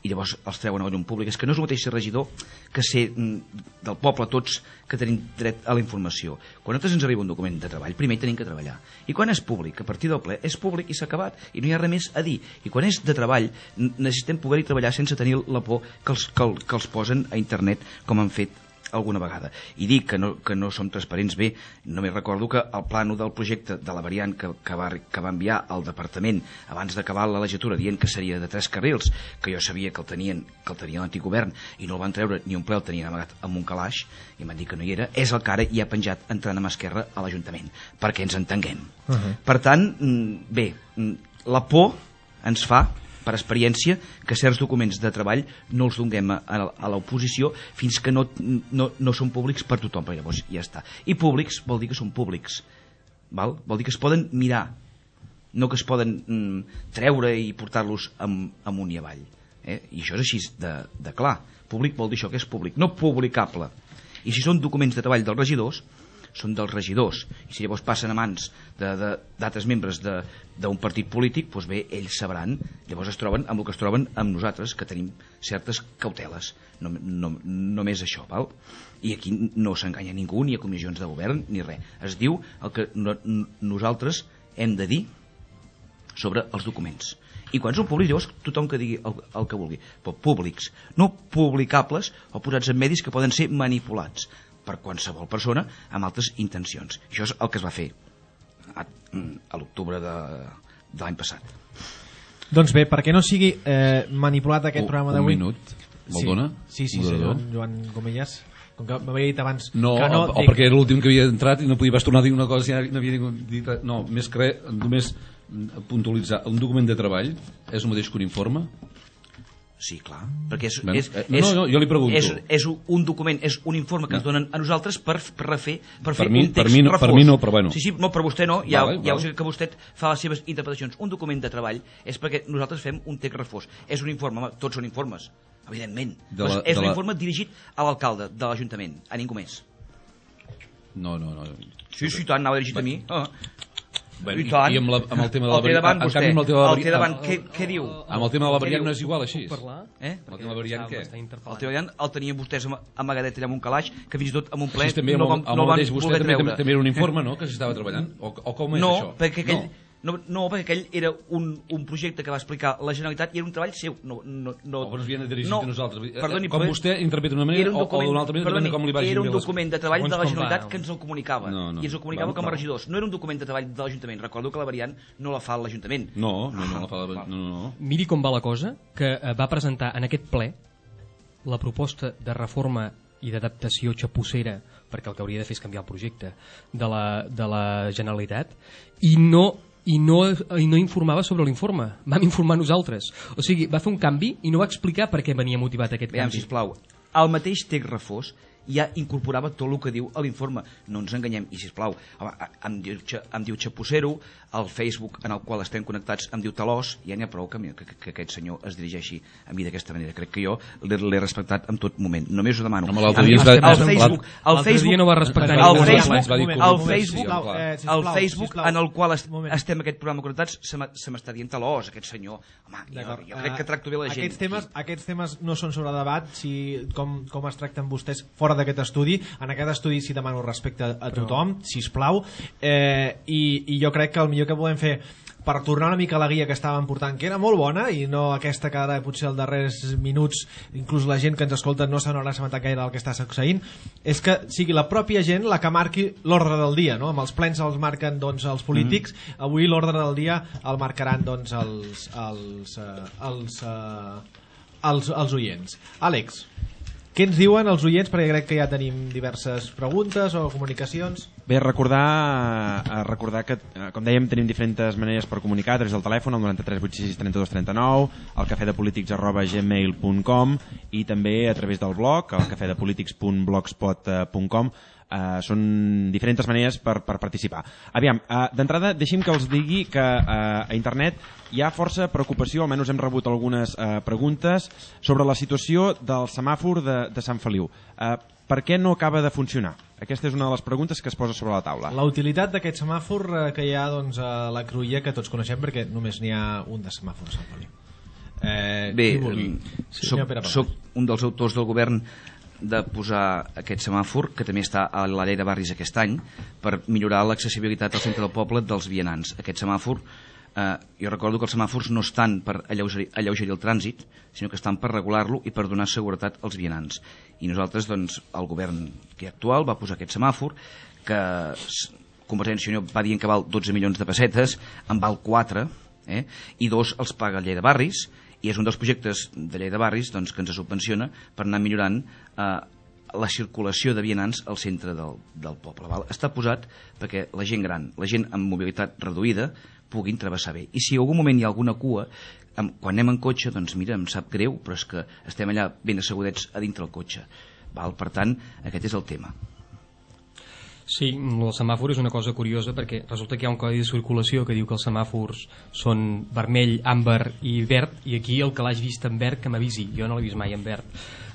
i llavors els treuen a la llum pública. És que no és el mateix ser regidor que ser del poble tots que tenim dret a la informació. Quan a nosaltres ens arriba un document de treball, primer tenim que treballar. I quan és públic, a partir del ple, és públic i s'ha acabat, i no hi ha res més a dir. I quan és de treball, necessitem poder-hi treballar sense tenir la por que els, que, que els posen a internet, com han fet alguna vegada. I dic que no, que no som transparents bé, només recordo que el plànol del projecte de la variant que, que, va, que va enviar al departament abans d'acabar la legislatura dient que seria de tres carrils, que jo sabia que el tenien que el tenia l'antigovern i no el van treure ni un ple, el tenien amagat amb un calaix i m'han dit que no hi era, és el que ara hi ha penjat entrant a mà esquerra a l'Ajuntament, perquè ens entenguem. Uh-huh. Per tant, bé, la por ens fa per experiència, que certs documents de treball no els donem a, a l'oposició fins que no, no, no són públics per tothom, però llavors ja està. I públics vol dir que són públics, val? Vol dir que es poden mirar, no que es poden mm, treure i portar-los amunt i avall. Eh? I això és així de, de clar. Públic vol dir això, que és públic, no publicable. I si són documents de treball dels regidors, són dels regidors, i si llavors passen a mans d'altres membres d'un partit polític, doncs bé, ells sabran, llavors es troben amb el que es troben amb nosaltres, que tenim certes cauteles, no, no, només això, val? I aquí no s'enganya ningú, ni a comissions de govern, ni res. Es diu el que no, nosaltres hem de dir sobre els documents. I quan són públics, llavors tothom que digui el, el que vulgui, però públics, no publicables o posats en medis que poden ser manipulats per qualsevol persona amb altres intencions. Això és el que es va fer a, a l'octubre de, de l'any passat. Doncs bé, perquè no sigui eh, manipulat aquest un, programa d'avui... Un minut, me'l dona? Sí, sí, sí, senyor Joan Gomelles. Com que m'havia dit abans... No, que no o, dic... perquè era l'últim que havia entrat i no podia tornar a dir una cosa i no havia dit res. No, més que res, només puntualitzar. Un document de treball és el mateix que un informe? Sí, clar, perquè és, ben, és, eh, no, no, jo li pregunto. És, és un document, és un informe que no. ens donen a nosaltres per, per refer per, per fer mi, un text per mi no, refós. Per mi no, però bueno. Sí, sí, no, per vostè no, ja, vale, ja vale. ho sé que vostè fa les seves interpretacions. Un document de treball és perquè nosaltres fem un text refós. És un informe, home, tots són informes, evidentment. De la, és un la... informe dirigit a l'alcalde de l'Ajuntament, a ningú més. No, no, no. Sí, sí, tant, anava dirigit a mi. Ah. Bueno, i, i amb, la, amb el tema de la variant... El té davant vostè, el, tema de la el té davant, què, què diu? Amb el tema de la variant no és igual així. Puc parlar? Eh? El tema de la variant què? El tema de la variant el tenien vostès amagadet allà amb un calaix, que fins i tot amb un ple sí, també, no van, no van poder treure. També, també era un informe, no?, que s'estava treballant? O, o com és no, això? Perquè aquell, no. No, no, perquè aquell era un, un projecte que va explicar la Generalitat i era un treball seu. No, no, no, o ens havien dirigit no, a nosaltres. Perdoni, com vostè interpreta d'una manera o, o d'una altra manera, perdoni, com li vagi era un les... document de treball de la Generalitat que ens el comunicava. No, no, I ens el comunicava va, com a va. regidors. No era un document de treball de l'Ajuntament. Recordo que la variant no la fa l'Ajuntament. No, no, no, la fa la... no, no, no. Miri com va la cosa, que va presentar en aquest ple la proposta de reforma i d'adaptació xapussera, perquè el que hauria de fer és canviar el projecte de la, de la Generalitat, i no... I no, i no informava sobre l'informe, vam informar nosaltres, o sigui, va fer un canvi i no va explicar per què venia motivat aquest Veiem, canvi. Sisplau, el mateix text refós ja incorporava tot el que diu a l'informe, no ens enganyem. I sisplau, home, em, diu, em diu Xapussero, el Facebook en el qual estem connectats em diu Talós, ja n'hi ha prou que, que, que aquest senyor es dirigeixi a mi d'aquesta manera. Crec que jo l'he respectat en tot moment, només ho demano. No, l'altre dia, va... el Facebook, el Facebook dia no va respectar el ningú. Facebook, el Facebook, el Facebook en el qual estem aquest programa connectats se m'està dient Talós, aquest senyor. Home, jo, jo crec que tracto bé la gent. Aquests temes, aquests temes no són sobre debat, si, com, com es tracten vostès fora d'aquest estudi. En aquest estudi sí demano respecte a tothom, sisplau, eh, i, i jo crec que el millor que podem fer per tornar una mica a la guia que estàvem portant, que era molt bona, i no aquesta que ara potser els darrers minuts inclús la gent que ens escolta no se n'haurà assabentat gaire del que està succeint, és que sigui la pròpia gent la que marqui l'ordre del dia, no? Amb els plens els marquen doncs, els polítics, mm. avui l'ordre del dia el marcaran doncs, els, els, uh, els, uh, els, els oients. Àlex, què ens diuen els oients? Perquè crec que ja tenim diverses preguntes o comunicacions. Bé, recordar, recordar que, com dèiem, tenim diferents maneres per comunicar a través del telèfon, el noranta tres vuit sis sis trenta dos trenta nou, el cafedepolítics arroba gmail punt com i també a través del blog, el cafedepolítics punt blogspot punt com. Uh, són diferents maneres per, per participar. Aviam, uh, d'entrada deixi'm que els digui que uh, a internet hi ha força preocupació, almenys hem rebut algunes uh, preguntes sobre la situació del semàfor de, de Sant Feliu. Uh, per què no acaba de funcionar? Aquesta és una de les preguntes que es posa sobre la taula. La utilitat d'aquest semàfor uh, que hi ha doncs, a la Cruïlla, que tots coneixem perquè només n'hi ha un de semàfor a Sant Feliu. Eh, Bé, sí, soc, soc un dels autors del govern de posar aquest semàfor, que també està a la llei de barris aquest any, per millorar l'accessibilitat al centre del poble dels vianants. Aquest semàfor, eh, jo recordo que els semàfors no estan per alleugerir, alleugerir el trànsit, sinó que estan per regular-lo i per donar seguretat als vianants. I nosaltres, doncs, el govern que actual va posar aquest semàfor, que Convergència i Unió va dir que val dotze milions de pessetes, en val quatre, eh? I dos els paga Llei de Barris, i és un dels projectes de Llei de Barris doncs, que ens subvenciona per anar millorant eh, la circulació de vianants al centre del, del poble. Val? Està posat perquè la gent gran, la gent amb mobilitat reduïda, puguin travessar bé. I si en algun moment hi ha alguna cua, amb, quan anem en cotxe, doncs mira, em sap greu, però és que estem allà ben assegurets a dintre el cotxe. Val? Per tant, aquest és el tema. Sí, el semàfor és una cosa curiosa perquè resulta que hi ha un codi de circulació que diu que els semàfors són vermell, àmbar i verd, i aquí el que l'hagi vist en verd que m'avisi, jo no l'he vist mai en verd.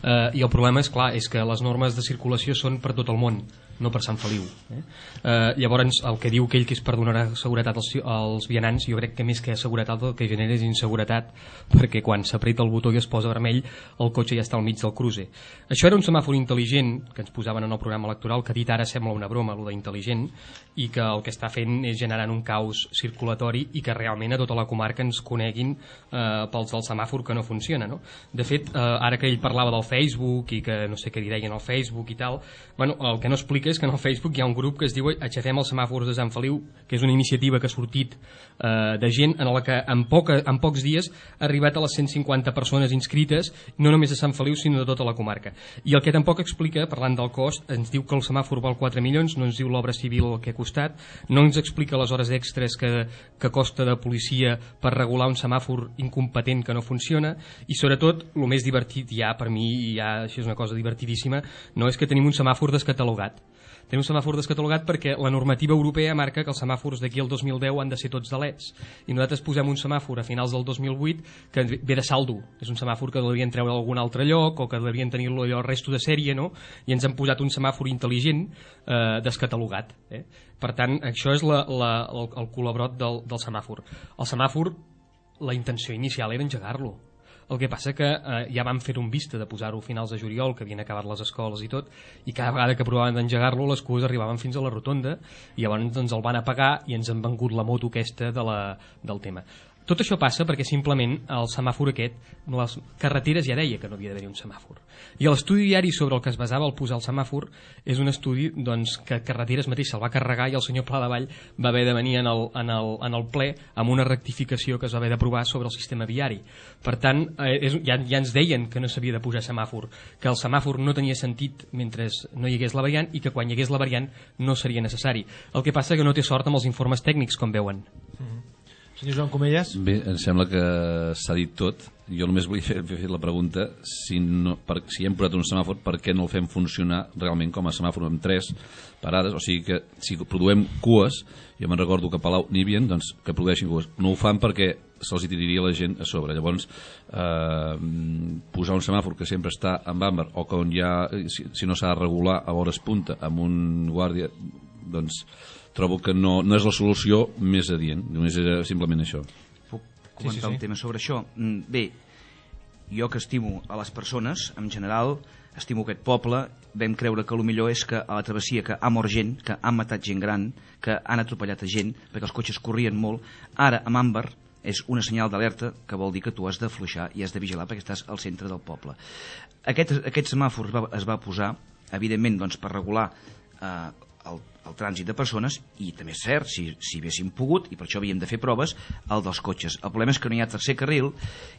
Uh, i el problema és clar, és que les normes de circulació són per tot el món, no per Sant Feliu, eh? Uh, llavors el que diu que ell que és per donar seguretat als, als vianants, jo crec que més que seguretat el que genera és inseguretat, perquè quan s'apreta el botó i es posa vermell el cotxe ja està al mig del cruce. Això era un semàfor intel·ligent que ens posaven en el programa electoral, que dit ara sembla una broma, allò d'intel·ligent, i que el que està fent és generant un caos circulatori i que realment a tota la comarca ens coneguin eh, pels del semàfor que no funciona, no? De fet, eh, ara que ell parlava del Facebook i que no sé què li deien al Facebook i tal, bueno, el que no explica és que en el Facebook hi ha un grup que es diu Aixafem els semàfors de Sant Feliu, que és una iniciativa que ha sortit eh, de gent en la que en, poca, en pocs dies ha arribat a les cent cinquanta persones inscrites, no només de Sant Feliu sinó de tota la comarca. I el que tampoc explica, parlant del cost, ens diu que el semàfor val quatre milions, no ens diu l'obra civil el que ha costat, no ens explica les hores extres que, que costa de policia per regular un semàfor incompetent que no funciona, i sobretot el més divertit ja per mi, ja això és una cosa divertidíssima, no és que tenim un semàfor descatalogat. Tenim un semàfor descatalogat perquè la normativa europea marca que els semàfors d'aquí al dos mil deu han de ser tots de leds, i nosaltres posem un semàfor a finals del dos mil vuit que ve de saldo, és un semàfor que devien treure d'algun altre lloc o que devien tenir-lo allò el resto de sèrie, no? I ens han posat un semàfor intel·ligent eh, descatalogat, eh? Per tant, això és la, la, el, el colabrot del, del semàfor. El semàfor, la intenció inicial era engegar-lo. El que passa que eh, ja vam fer un vista de posar-ho a finals de juliol, que havien acabat les escoles i tot, i cada vegada que provaven d'engegar-lo les cues arribaven fins a la rotonda, i llavors doncs, el van apagar i ens han vengut la moto aquesta de la, del tema. Tot això passa perquè simplement el semàfor aquest, les carreteres ja deia que no havia d'haver un semàfor. I l'estudi diari sobre el que es basava al posar el semàfor és un estudi doncs, que Carreteres mateix se'l va carregar i el senyor Pladevall va haver de venir en el, en, el, en el ple amb una rectificació que es va haver d'aprovar sobre el sistema viari. Per tant, eh, és, ja, ja ens deien que no s'havia de posar semàfor, que el semàfor no tenia sentit mentre no hi hagués la variant i que quan hi hagués la variant no seria necessari. El que passa que no té sort amb els informes tècnics, com veuen. Mm-hmm. Senyor Joan Comelles? Bé, em sembla que s'ha dit tot. Jo només volia fer, fer la pregunta si, no, per, si hem posat un semàfor, per què no el fem funcionar realment com a semàfor amb tres parades? O sigui que si produïm cues, jo me'n recordo que a Palau n'hi havia, doncs que produeixin cues. No ho fan perquè se'ls tiraria la gent a sobre. Llavors, eh, posar un semàfor que sempre està amb àmbar o que on hi ha, si, si no s'ha de regular a hores punta amb un guàrdia, doncs trobo que no, no és la solució més adient, només era simplement això. Puc comentar sí, sí, sí. un tema sobre això? Bé, jo que estimo a les persones, en general, estimo aquest poble, vam creure que el millor és que a la travessia que ha mort gent, que han matat gent gran, que han atropellat a gent, perquè els cotxes corrien molt, ara amb àmbar és una senyal d'alerta que vol dir que tu has d'afluixar i has de vigilar perquè estàs al centre del poble. Aquest, aquest semàfor es va, es va posar, evidentment, doncs, per regular eh, el, el trànsit de persones, i també és cert, si, si haguéssim pogut, i per això havíem de fer proves, el dels cotxes. El problema és que no hi ha tercer carril,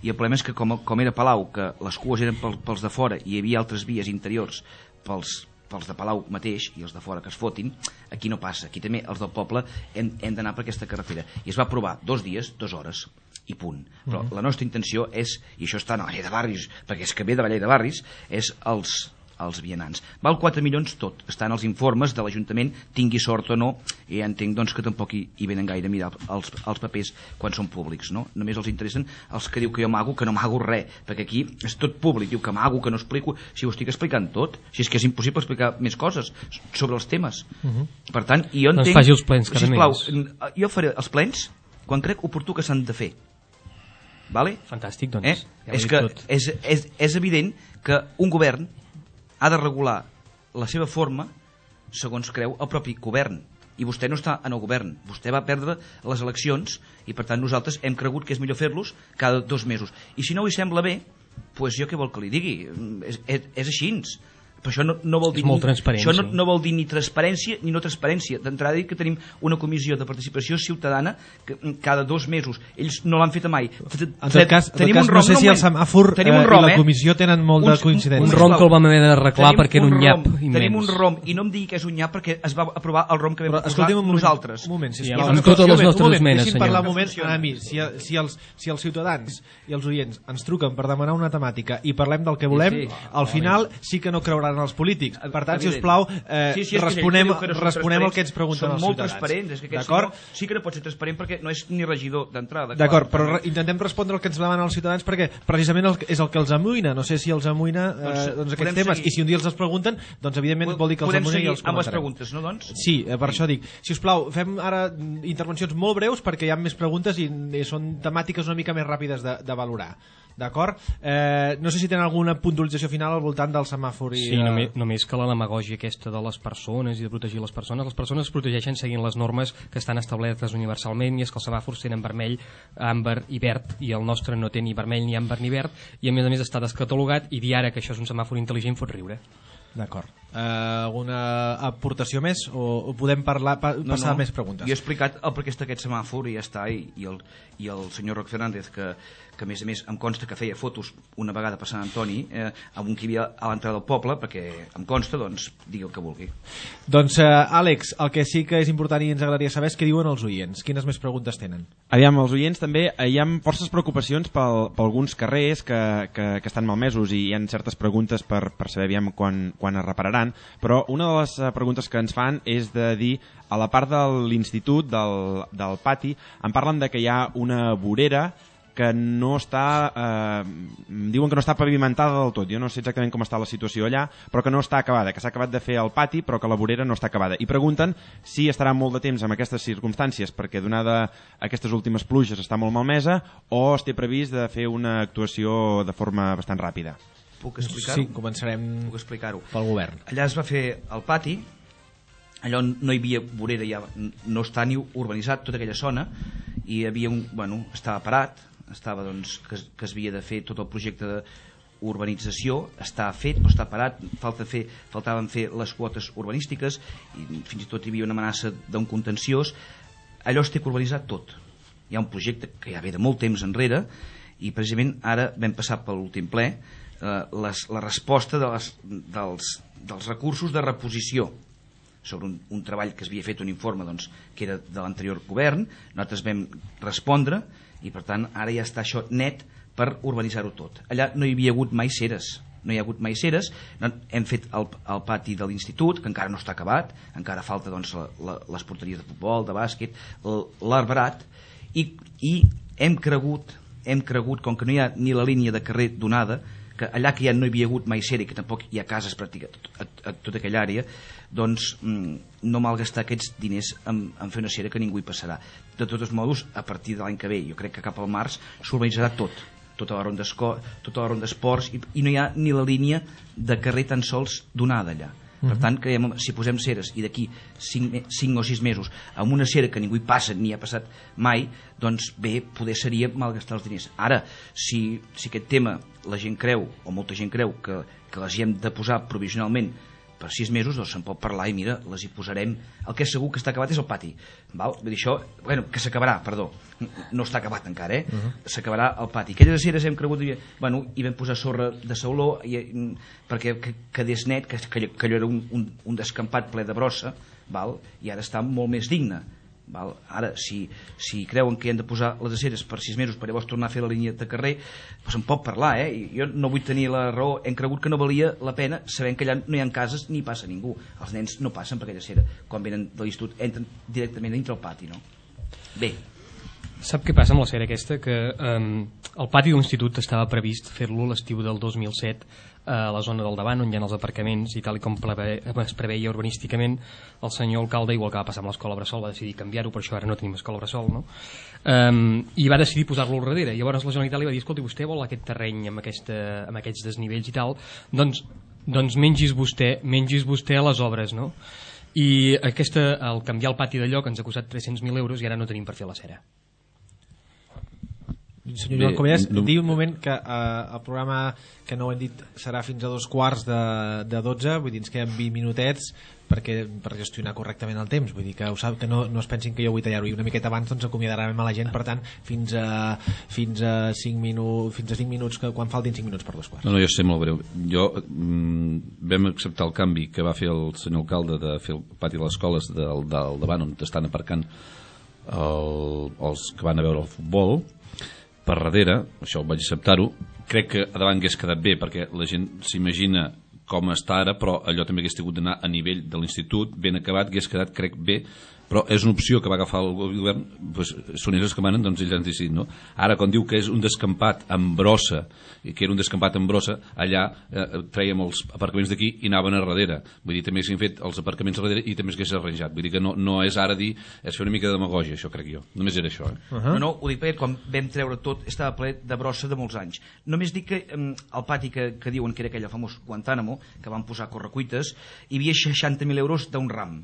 i el problema és que com, com era Palau, que les cues eren pel, pels de fora i hi havia altres vies interiors pels, pels de Palau mateix i els de fora que es fotin, aquí no passa. Aquí també els del poble hem, hem d'anar per aquesta carretera. I es va provar dos dies, dues hores, i punt. Però mm-hmm. la nostra intenció és, i això està a la llei de barris, perquè és que ve de la llei de barris, és els... els vianants. Val quatre milions tot, estan els informes de l'Ajuntament, tingui sort o no, i ja entenc doncs, que tampoc hi, hi venen gaire a mirar els, els papers quan són públics, no? Només els interessen els que diu que jo mago, que no mago res, perquè aquí és tot públic, diu que mago, que no explico, si ho estic explicant tot, si és que és impossible explicar més coses sobre els temes. Uh-huh. Per tant, i jo entenc... Doncs faci els plens cada sisplau, mes. Jo faré els plens quan crec oportú que s'han de fer. Vale? Fantàstic, doncs. Eh? Ja És que és, és, és evident que un govern ha de regular la seva forma segons creu el propi govern. I vostè no està en el govern. Vostè va perdre les eleccions i, per tant, nosaltres hem cregut que és millor fer-los cada dos mesos. I si no li sembla bé, doncs jo què vol que li digui? És, és, és així. Però això no, no vol dir és molt ni, transparent, això no, sí. no vol dir ni transparència ni no transparència. D'entrada dir que tenim una comissió de participació ciutadana que cada dos mesos, ells no l'han feta mai. En tot cas, tenim en tot cas un rom, no sé si el semàfor eh, rom, i la eh? comissió tenen molt de coincidència. Un rom que el vam haver d'arreglar perquè era un nyap rom, immens. Tenim un rom, i no em digui que és un nyap perquè es va aprovar el rom que vam Però, posar un nosaltres. Un moment, sisplau. Sí, amb totes les nostres esmenes, senyor. Parlar un moment, Funciona. a mi, si, si, els, si els ciutadans i els oients ens truquen per demanar una temàtica i parlem del que volem, Sí, sí. al final sí que no creuran els polítics. Per tant, si us Evident. plau, eh, Sí, sí, és que responem, ell diu que no són responem el que ens transparents. pregunten els Són molt ciutadans. transparents, és que aquest D'acord? senyor sí que no pot ser transparent perquè no és ni regidor d'entrada. D'acord, però re intentem respondre el que ens demanen els ciutadans perquè precisament el, és el que els amoïna. No sé si els amoïna eh, Doncs, doncs podem aquests temes. seguir. I si un dia els els pregunten, doncs evidentment vol dir que els Podem amoïna i seguir els amb les comentarem. preguntes, no, doncs? Sí, eh, per això dic. Si us plau, fem ara intervencions molt breus perquè hi ha més preguntes i, i són temàtiques una mica més ràpides de, de valorar. D'acord? Eh, no sé si tenen alguna puntualització final al voltant del semàfor i... Sí, de... només, només que la demagògia aquesta de les persones i de protegir les persones, les persones es protegeixen seguint les normes que estan establertes universalment, i és que els semàfors tenen vermell, àmbar i verd, i el nostre no té ni vermell, ni àmbar, ni verd, i a més a més està descatalogat, i dir ara que això és un semàfor intel·ligent fot riure. D'acord. Uh, alguna aportació més o, o podem parlar, pa, No, passar no. a més preguntes? Jo he explicat el perquè està aquest semàfor i ja està, i, i, el, i el senyor Roc Fernández, que, que a més a més em consta que feia fotos una vegada per Sant Antoni eh, amb un que hi havia a l'entrada del poble, perquè em consta, doncs digui el que vulgui. Doncs uh, Àlex, el que sí que és important i ens agradaria saber és què diuen els oients. Quines més preguntes tenen? Aviam, els oients també, eh, hi ha forces preocupacions pel, per alguns carrers que, que, que estan malmesos, i hi ha certes preguntes per, per saber aviam quan, quan es repararan, però una de les eh, preguntes que ens fan és de dir, a la part de l'institut, del, del pati, en parlen de que hi ha una vorera que no està, eh, diuen que no està pavimentada del tot. Jo no sé exactament com està la situació allà, però que no està acabada, que s'ha acabat de fer el pati, però que la vorera no està acabada. I pregunten si estarà molt de temps en aquestes circumstàncies, perquè donada aquestes últimes pluges està molt malmesa, o es té previst de fer una actuació de forma bastant ràpida. Puc explicar-ho? Sí, començarem Puc explicar-ho. pel govern. Allà es va fer el pati, allò no hi havia vorera, ja no està ni urbanitzat tota aquella zona, i hi havia un, bueno, estava parat, estava doncs que, que es havia de fer tot el projecte d'urbanització, està fet però està parat, falta fer, faltaven fer les quotes urbanístiques, i fins i tot hi havia una amenaça d'un contenciós. Allò es té que urbanitzar tot. Hi ha un projecte que ja ve de molt temps enrere, i precisament ara vam passar per l'últim ple eh, les, la resposta de les, dels, dels recursos de reposició sobre un, un treball que es havia fet, un informe doncs, que era de l'anterior govern. Nosaltres vam respondre, i per tant ara ja està això net per urbanitzar-ho tot. Allà no hi havia hagut mai ceres, no hi ha hagut mai ceres. No, hem fet el, el pati de l'institut, que encara no està acabat, encara falta doncs, la, la, les porteries de futbol, de bàsquet, l'arbrat, i, i hem cregut, hem cregut, com que no hi ha ni la línia de carrer donada, que allà que ja no hi havia hagut mai cera i que tampoc hi ha cases pràcticament a, a, a tota aquella àrea, doncs mm, no malgastar aquests diners en, en fer una cera que ningú hi passarà. De tots modos, a partir de l'any que ve, jo crec que cap al març s'urbanitzarà tot, tota la ronda tota la ronda d'esports, i, i no hi ha ni la línia de carrer tan sols donada allà. Per tant, creiem, si posem ceres i d'aquí cinc o sis mesos amb una cera que ningú hi passa ni ha passat mai, doncs bé, poder seria malgastar els diners. Ara, si, si aquest tema la gent creu, o molta gent creu, que, que les hi hem de posar provisionalment per sis mesos, doncs se'n pot parlar i mira, les hi posarem. El que és segur que està acabat és el pati. Val? Vull dir, això, bueno, que s'acabarà, perdó. No està acabat encara, eh? Uh -huh. S'acabarà el pati. Aquelles ceres hem cregut, bueno, hi vam posar sorra de sauló i, perquè que, quedés net, que, que, que allò era un, un, un descampat ple de brossa, val? I ara està molt més digne. Val? Ara, si, si creuen que hem de posar les aceres per sis mesos per llavors tornar a fer la línia de carrer, doncs en pot parlar, eh? Jo no vull tenir la raó, hem cregut que no valia la pena, sabent que allà no hi ha cases ni passa ningú, els nens no passen per aquella acera, quan venen de l'institut entren directament dintre el pati, no? Bé, Sap què passa amb la sèrie aquesta? Que um, el pati de l'institut estava previst fer-lo l'estiu del dos mil set a la zona del davant, on hi ha els aparcaments, i tal i com preve, es preveia urbanísticament, el senyor alcalde, igual que va passar amb l'escola Bressol, va decidir canviar-ho, per això ara no tenim escola Bressol, no? Um, i va decidir posar-lo al darrere. Llavors la Generalitat li va dir, escolti, vostè vol aquest terreny amb, aquesta, amb aquests desnivells i tal, doncs, doncs mengis vostè, mengis vostè a les obres, no? I aquesta, al canviar el pati de lloc ens ha costat tres-cents mil euros i ara no tenim per fer la cera. Senyor Joan Comelles, no... diu un moment que eh, el programa, que no ho hem dit, serà fins a dos quarts de, de dotze, vull dir, ens queden vint minutets perquè, per gestionar correctament el temps, vull dir que, ho sap, que no, no es pensin que jo vull tallar-ho, i una miqueta abans doncs acomiadarem a la gent, per tant fins a, fins a cinc minuts fins a cinc minuts, que, quan faltin cinc minuts per dos quarts. No, no, jo sé molt breu, jo mm, vam acceptar el canvi que va fer el senyor alcalde de fer el pati de les escoles del, del davant on estan aparcant el, els que van a veure el futbol per darrere, això vaig acceptar-ho. Crec que a davant hagués quedat bé perquè la gent s'imagina com està ara, però allò també hagués tingut d'anar a nivell de l'institut, ben acabat, hagués quedat, crec, bé, però és una opció que va agafar el govern, doncs, són ells que manen, doncs ells han decidit, no? Ara, quan diu que és un descampat amb brossa, i que era un descampat amb brossa, allà eh, trèiem els aparcaments d'aquí i anaven a darrere. Vull dir, també s'han fet els aparcaments a darrere i també s'hagués arranjat. Vull dir que no, no és ara dir, és fer una mica de demagògia, això crec jo. Només era això, eh? Uh -huh. No, no, ho dic perquè quan vam treure tot estava ple de brossa de molts anys. Només dic que eh, el pati que, que diuen que era aquell famós Guantánamo, que van posar correcuites, hi havia seixanta mil euros d'un ram.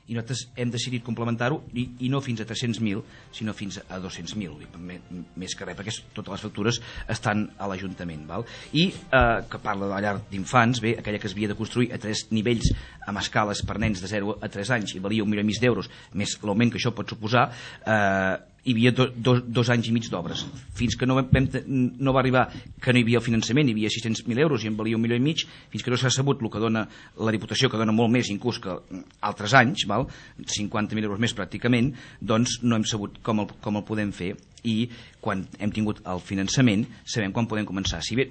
I nosaltres hem decidit complementar-ho i, i no fins a tres-cents mil, sinó fins a dos-cents mil, més que res, perquè totes les factures estan a l'Ajuntament. Val? I eh, que parla de la llar d'infants, bé, aquella que es havia de construir a tres nivells amb escales per nens de zero a tres anys i valia un milió i mig d'euros, més l'augment que això pot suposar, eh, hi havia do, do, dos anys i mig d'obres. Fins que no, vam, no va arribar que no hi havia el finançament, hi havia sis-cents mil euros i en valia un milió i mig, fins que no s'ha sabut el que dona la Diputació, que dona molt més inclús que altres anys, val? cinquanta mil euros més pràcticament, doncs no hem sabut com el, com el podem fer, i quan hem tingut el finançament sabem quan podem començar. Si bé,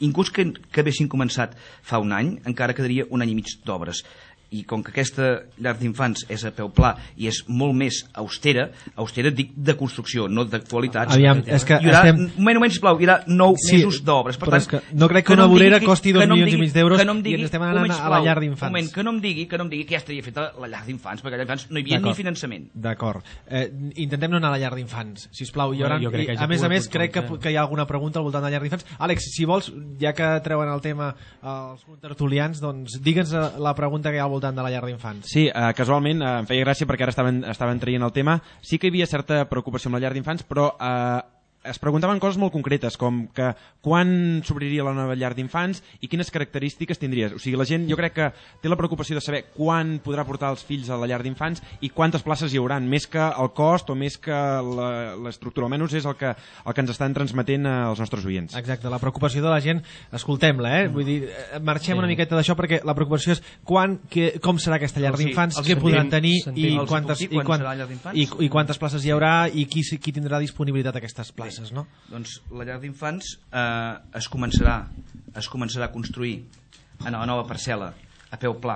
inclús que, que haguessin començat fa un any, encara quedaria un any i mig d'obres. I com que aquesta llar d'infants és a peu pla i és molt més austera, austera dic de construcció, no de qualitats. Aviam, és que hi haurà, estem... un moment, un moment, sisplau, hi haurà nou sí, mesos d'obres. Per tant, és que no crec que, que una vorera costi dos milions i mig d'euros no digui, i ens estem anant a la llar d'infants. Un moment, que no em digui que no em digui que ja estaria feta la llar d'infants, perquè a la llar d'infants no hi havia ni finançament. D'acord. Eh, intentem no anar a la llar d'infants, sisplau. Hi haurà, bueno, i, a més a més, crec que, que hi ha alguna pregunta al voltant de la llar d'infants. Àlex, si vols, ja que treuen el tema els tertulians, doncs digue'ns la pregunta que hi ha al voltant de la llar d'infants. Sí, uh, casualment uh, em feia gràcia perquè ara estaven, estaven traient el tema. Sí que hi havia certa preocupació amb la llar d'infants, però uh, es preguntaven coses molt concretes, com que quan s'obriria la nova llar d'infants i quines característiques tindries. O sigui, la gent jo crec que té la preocupació de saber quan podrà portar els fills a la llar d'infants i quantes places hi hauran, més que el cost o més que l'estructura, almenys és el que, el que ens estan transmetent els nostres oients. Exacte, la preocupació de la gent, escoltem-la, eh? Vull dir, marxem sí. una miqueta d'això perquè la preocupació és quan, que, com serà aquesta llar d'infants, què podran tenir i quantes, i, quan, i, i quantes places hi haurà i qui, qui tindrà disponibilitat a aquestes places. No? Doncs la llar d'infants eh, es començarà es començarà a construir en la nova parcel·la a peu pla,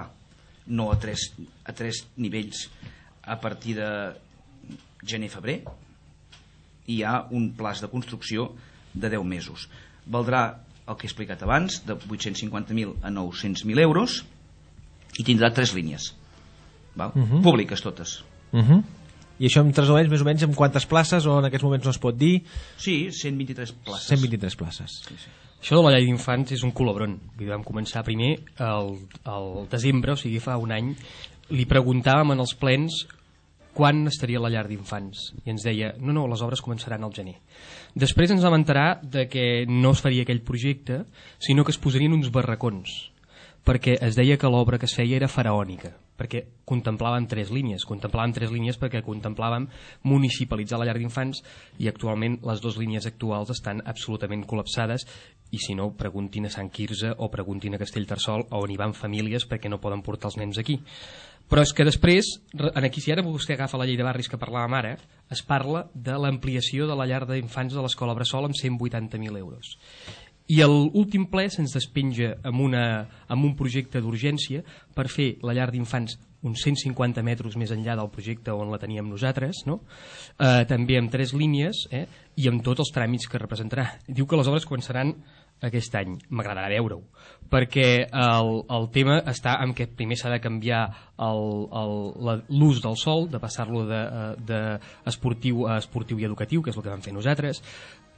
no a tres, a tres nivells, a partir de gener-febrer. I hi ha un plaç de construcció de deu mesos. Valdrà el que he explicat abans, de vuit-cents cinquanta mil a nou-cents mil euros, i tindrà tres línies, val? Uh -huh. Públiques totes. Uh -huh. I això em traslladeix més o menys en quantes places, o en aquests moments no es pot dir? Sí, cent vint-i-tres places. cent vint-i-tres places. Sí, sí. Això de la llar d'infants és un colobron. Vam començar primer el, el desembre, o sigui fa un any, li preguntàvem en els plens quan estaria la llar d'infants i ens deia, no, no, les obres començaran al gener. Després ens vam enterar de que no es faria aquell projecte, sinó que es posarien uns barracons, perquè es deia que l'obra que es feia era faraònica, perquè contemplàvem tres línies, contemplàvem tres línies perquè contemplàvem municipalitzar la llar d'infants i actualment les dues línies actuals estan absolutament col·lapsades i si no, preguntin a Sant Quirze o preguntin a Castellterçol on hi van famílies perquè no poden portar els nens aquí. Però és que després, aquí si ara vostè agafa la llei de barris que parlàvem ara, es parla de l'ampliació de la llar d'infants de l'escola Bressol amb cent vuitanta mil euros. I l'últim ple se'ns despenja amb, una, amb un projecte d'urgència per fer la llar d'infants uns cent cinquanta metres més enllà del projecte on la teníem nosaltres, no? eh, també amb tres línies eh, i amb tots els tràmits que representarà. Diu que les obres començaran aquest any. M'agradarà veure-ho, perquè el, el tema està en què primer s'ha de canviar l'ús del sòl, de passar-lo d'esportiu a esportiu i educatiu, que és el que vam fer nosaltres.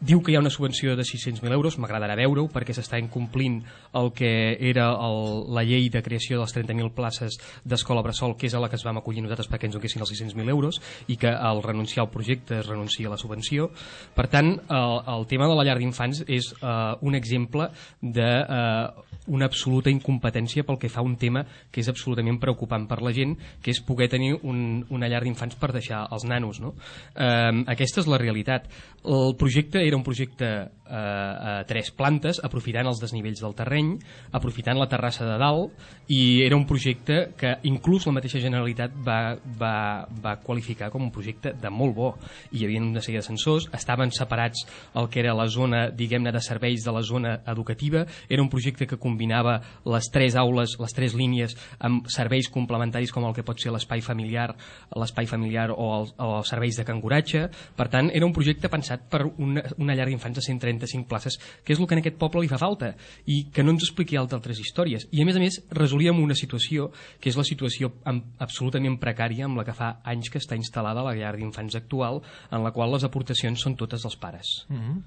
Diu que hi ha una subvenció de sis-cents mil euros, m'agradarà veure-ho, perquè s'està incomplint el que era el, la llei de creació de les trenta mil places d'escola bressol, que és a la que es vam acollir nosaltres perquè ens donessin els sis-cents mil euros, i que al renunciar al projecte es renuncia a la subvenció. Per tant, el, el tema de la llar d'infants és uh, un exemple d'una uh, absoluta incompetència pel que fa a un tema que és absolutament preocupant per la gent, que és poder tenir un, una llar d'infants per deixar els nanos, no? Uh, aquesta és la realitat. El projecte era un projecte eh, a tres plantes, aprofitant els desnivells del terreny, aprofitant la terrassa de dalt, i era un projecte que inclús la mateixa Generalitat va, va, va qualificar com un projecte de molt bo. Hi havia una sèrie d'ascensors, estaven separats el que era la zona, diguem-ne, de serveis de la zona educativa, era un projecte que combinava les tres aules, les tres línies, amb serveis complementaris com el que pot ser l'espai familiar, l'espai familiar o, el, o els serveis de canguratge. Per tant, era un projecte pensat per una, una llar d'infants de cent trenta-cinc places, que és el que en aquest poble li fa falta, i que no ens expliqui altres històries. I a més a més resolíem una situació que és la situació absolutament precària amb la que fa anys que està instal·lada la llar d'infants actual, en la qual les aportacions són totes dels pares. Mm-hmm.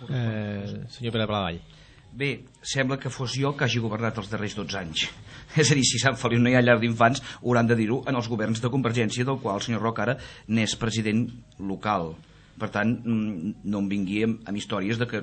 eh, senyor Pere Palavall. Bé, sembla que fos jo que hagi governat els darrers dotze anys. És a dir, si Sant Feliu no hi ha llar d'infants, hauran de dir-ho en els governs de Convergència, del qual el senyor Roc ara n'és president local. Per tant, no em vingui amb històries de que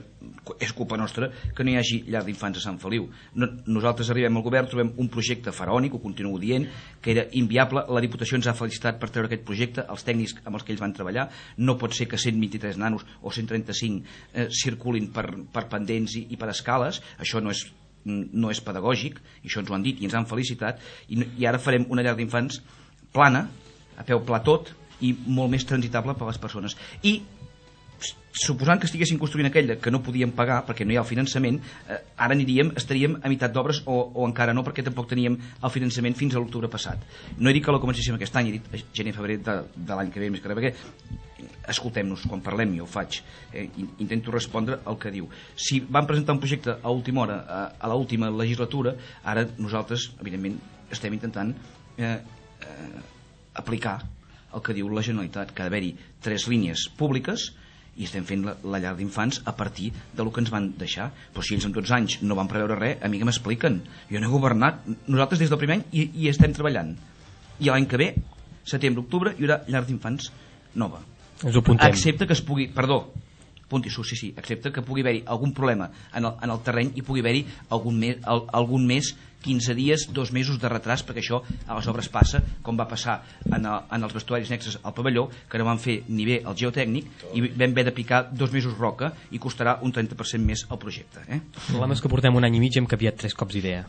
és culpa nostra que no hi hagi llar d'infants a Sant Feliu. Nosaltres arribem al govern, trobem un projecte faraònic, ho continuo dient, que era inviable. La Diputació ens ha felicitat per treure aquest projecte, els tècnics amb els que ells van treballar. No pot ser que cent vint-i-tres nanos o cent trenta-cinc eh, circulin per, per pendents i, i per escales. Això no és, no és pedagògic, i això ens ho han dit i ens han felicitat, i, i ara farem una llar d'infants plana, a peu pla tot, i molt més transitable per a les persones. I suposant que estiguessin construint aquella que no podíem pagar perquè no hi ha el finançament, eh, ara aniríem, estaríem a meitat d'obres o, o encara no, perquè tampoc teníem el finançament fins a l'octubre passat. No he dit que la comencéssim aquest any, he dit gener-febrer de, de l'any que ve, més que res, perquè escoltem-nos, quan parlem jo ho faig, eh, intento respondre al que diu. Si van presentar un projecte a última hora, a, a l'última legislatura, ara nosaltres, evidentment, estem intentant eh, eh, aplicar el que diu la Generalitat, que ha d'haver-hi tres línies públiques, i estem fent la, la llar d'infants a partir del que ens van deixar. Però si ells en tots anys no van preveure res, a mi que m'expliquen? Jo no he governat, nosaltres des del primer any hi, hi estem treballant. I l'any que ve, setembre, octubre, hi haurà llar d'infants nova. Ens ho apuntem. Excepte que es pugui, perdó, apunti-s'ho, sí, sí, excepte que pugui haver-hi algun problema en el, en el terreny i pugui haver-hi algun mes, al, algun mes quinze dies, dos mesos de retras, perquè això a les obres passa, com va passar en, el, en els vestuaris nexes al pavelló, que no van fer ni bé el geotècnic i vam haver de picar dos mesos roca i costarà un trenta per cent més el projecte. Eh? El problema és que portem un any i mig i hem canviat tres cops d'idea.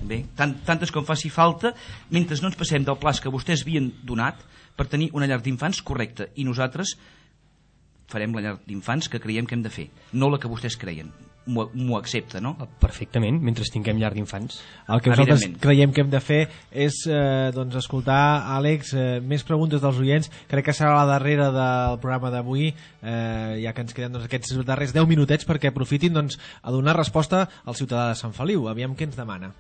Bé, tant, tantes com faci falta, mentre no ens passem del pla que vostès havien donat per tenir una llar d'infants correcta, i nosaltres farem la llar d'infants que creiem que hem de fer, no la que vostès creien. M'ho accepta, no? Perfectament, mentre tinguem llar d'infants. El que nosaltres creiem que hem de fer és eh, doncs, escoltar, Àlex, eh, més preguntes dels oients. Crec que serà la darrera del programa d'avui, eh, ja que ens queden doncs, aquests darrers deu minutets perquè aprofitin doncs, a donar resposta al ciutadà de Sant Feliu. Aviam què ens demana.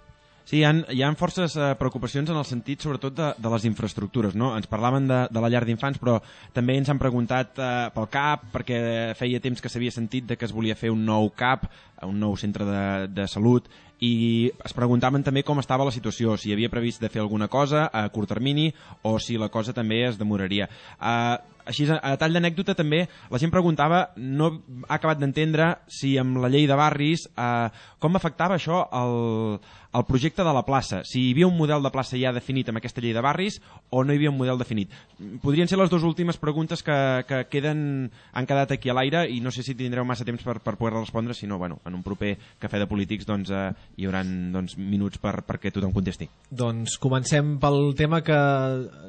Sí, hi ha, hi ha forces eh, preocupacions en el sentit sobretot de, de les infraestructures, no? Ens parlaven de, de la llar d'infants, però també ens han preguntat eh, pel C A P, perquè feia temps que s'havia sentit de que es volia fer un nou C A P, un nou centre de, de salut, i es preguntaven també com estava la situació, si hi havia previst de fer alguna cosa a curt termini o si la cosa també es demoraria. Eh, Així, a tall d'anècdota també, la gent preguntava, no ha acabat d'entendre si amb la llei de barris, eh, com afectava això el, el projecte de la plaça, si hi havia un model de plaça ja definit amb aquesta llei de barris o no hi havia un model definit. Podrien ser les dues últimes preguntes que, que queden, han quedat aquí a l'aire, i no sé si tindreu massa temps per, per poder respondre, si no, bueno, en un proper cafè de polítics doncs, eh, hi haurà doncs, minuts per, perquè tothom contesti. Doncs comencem pel tema que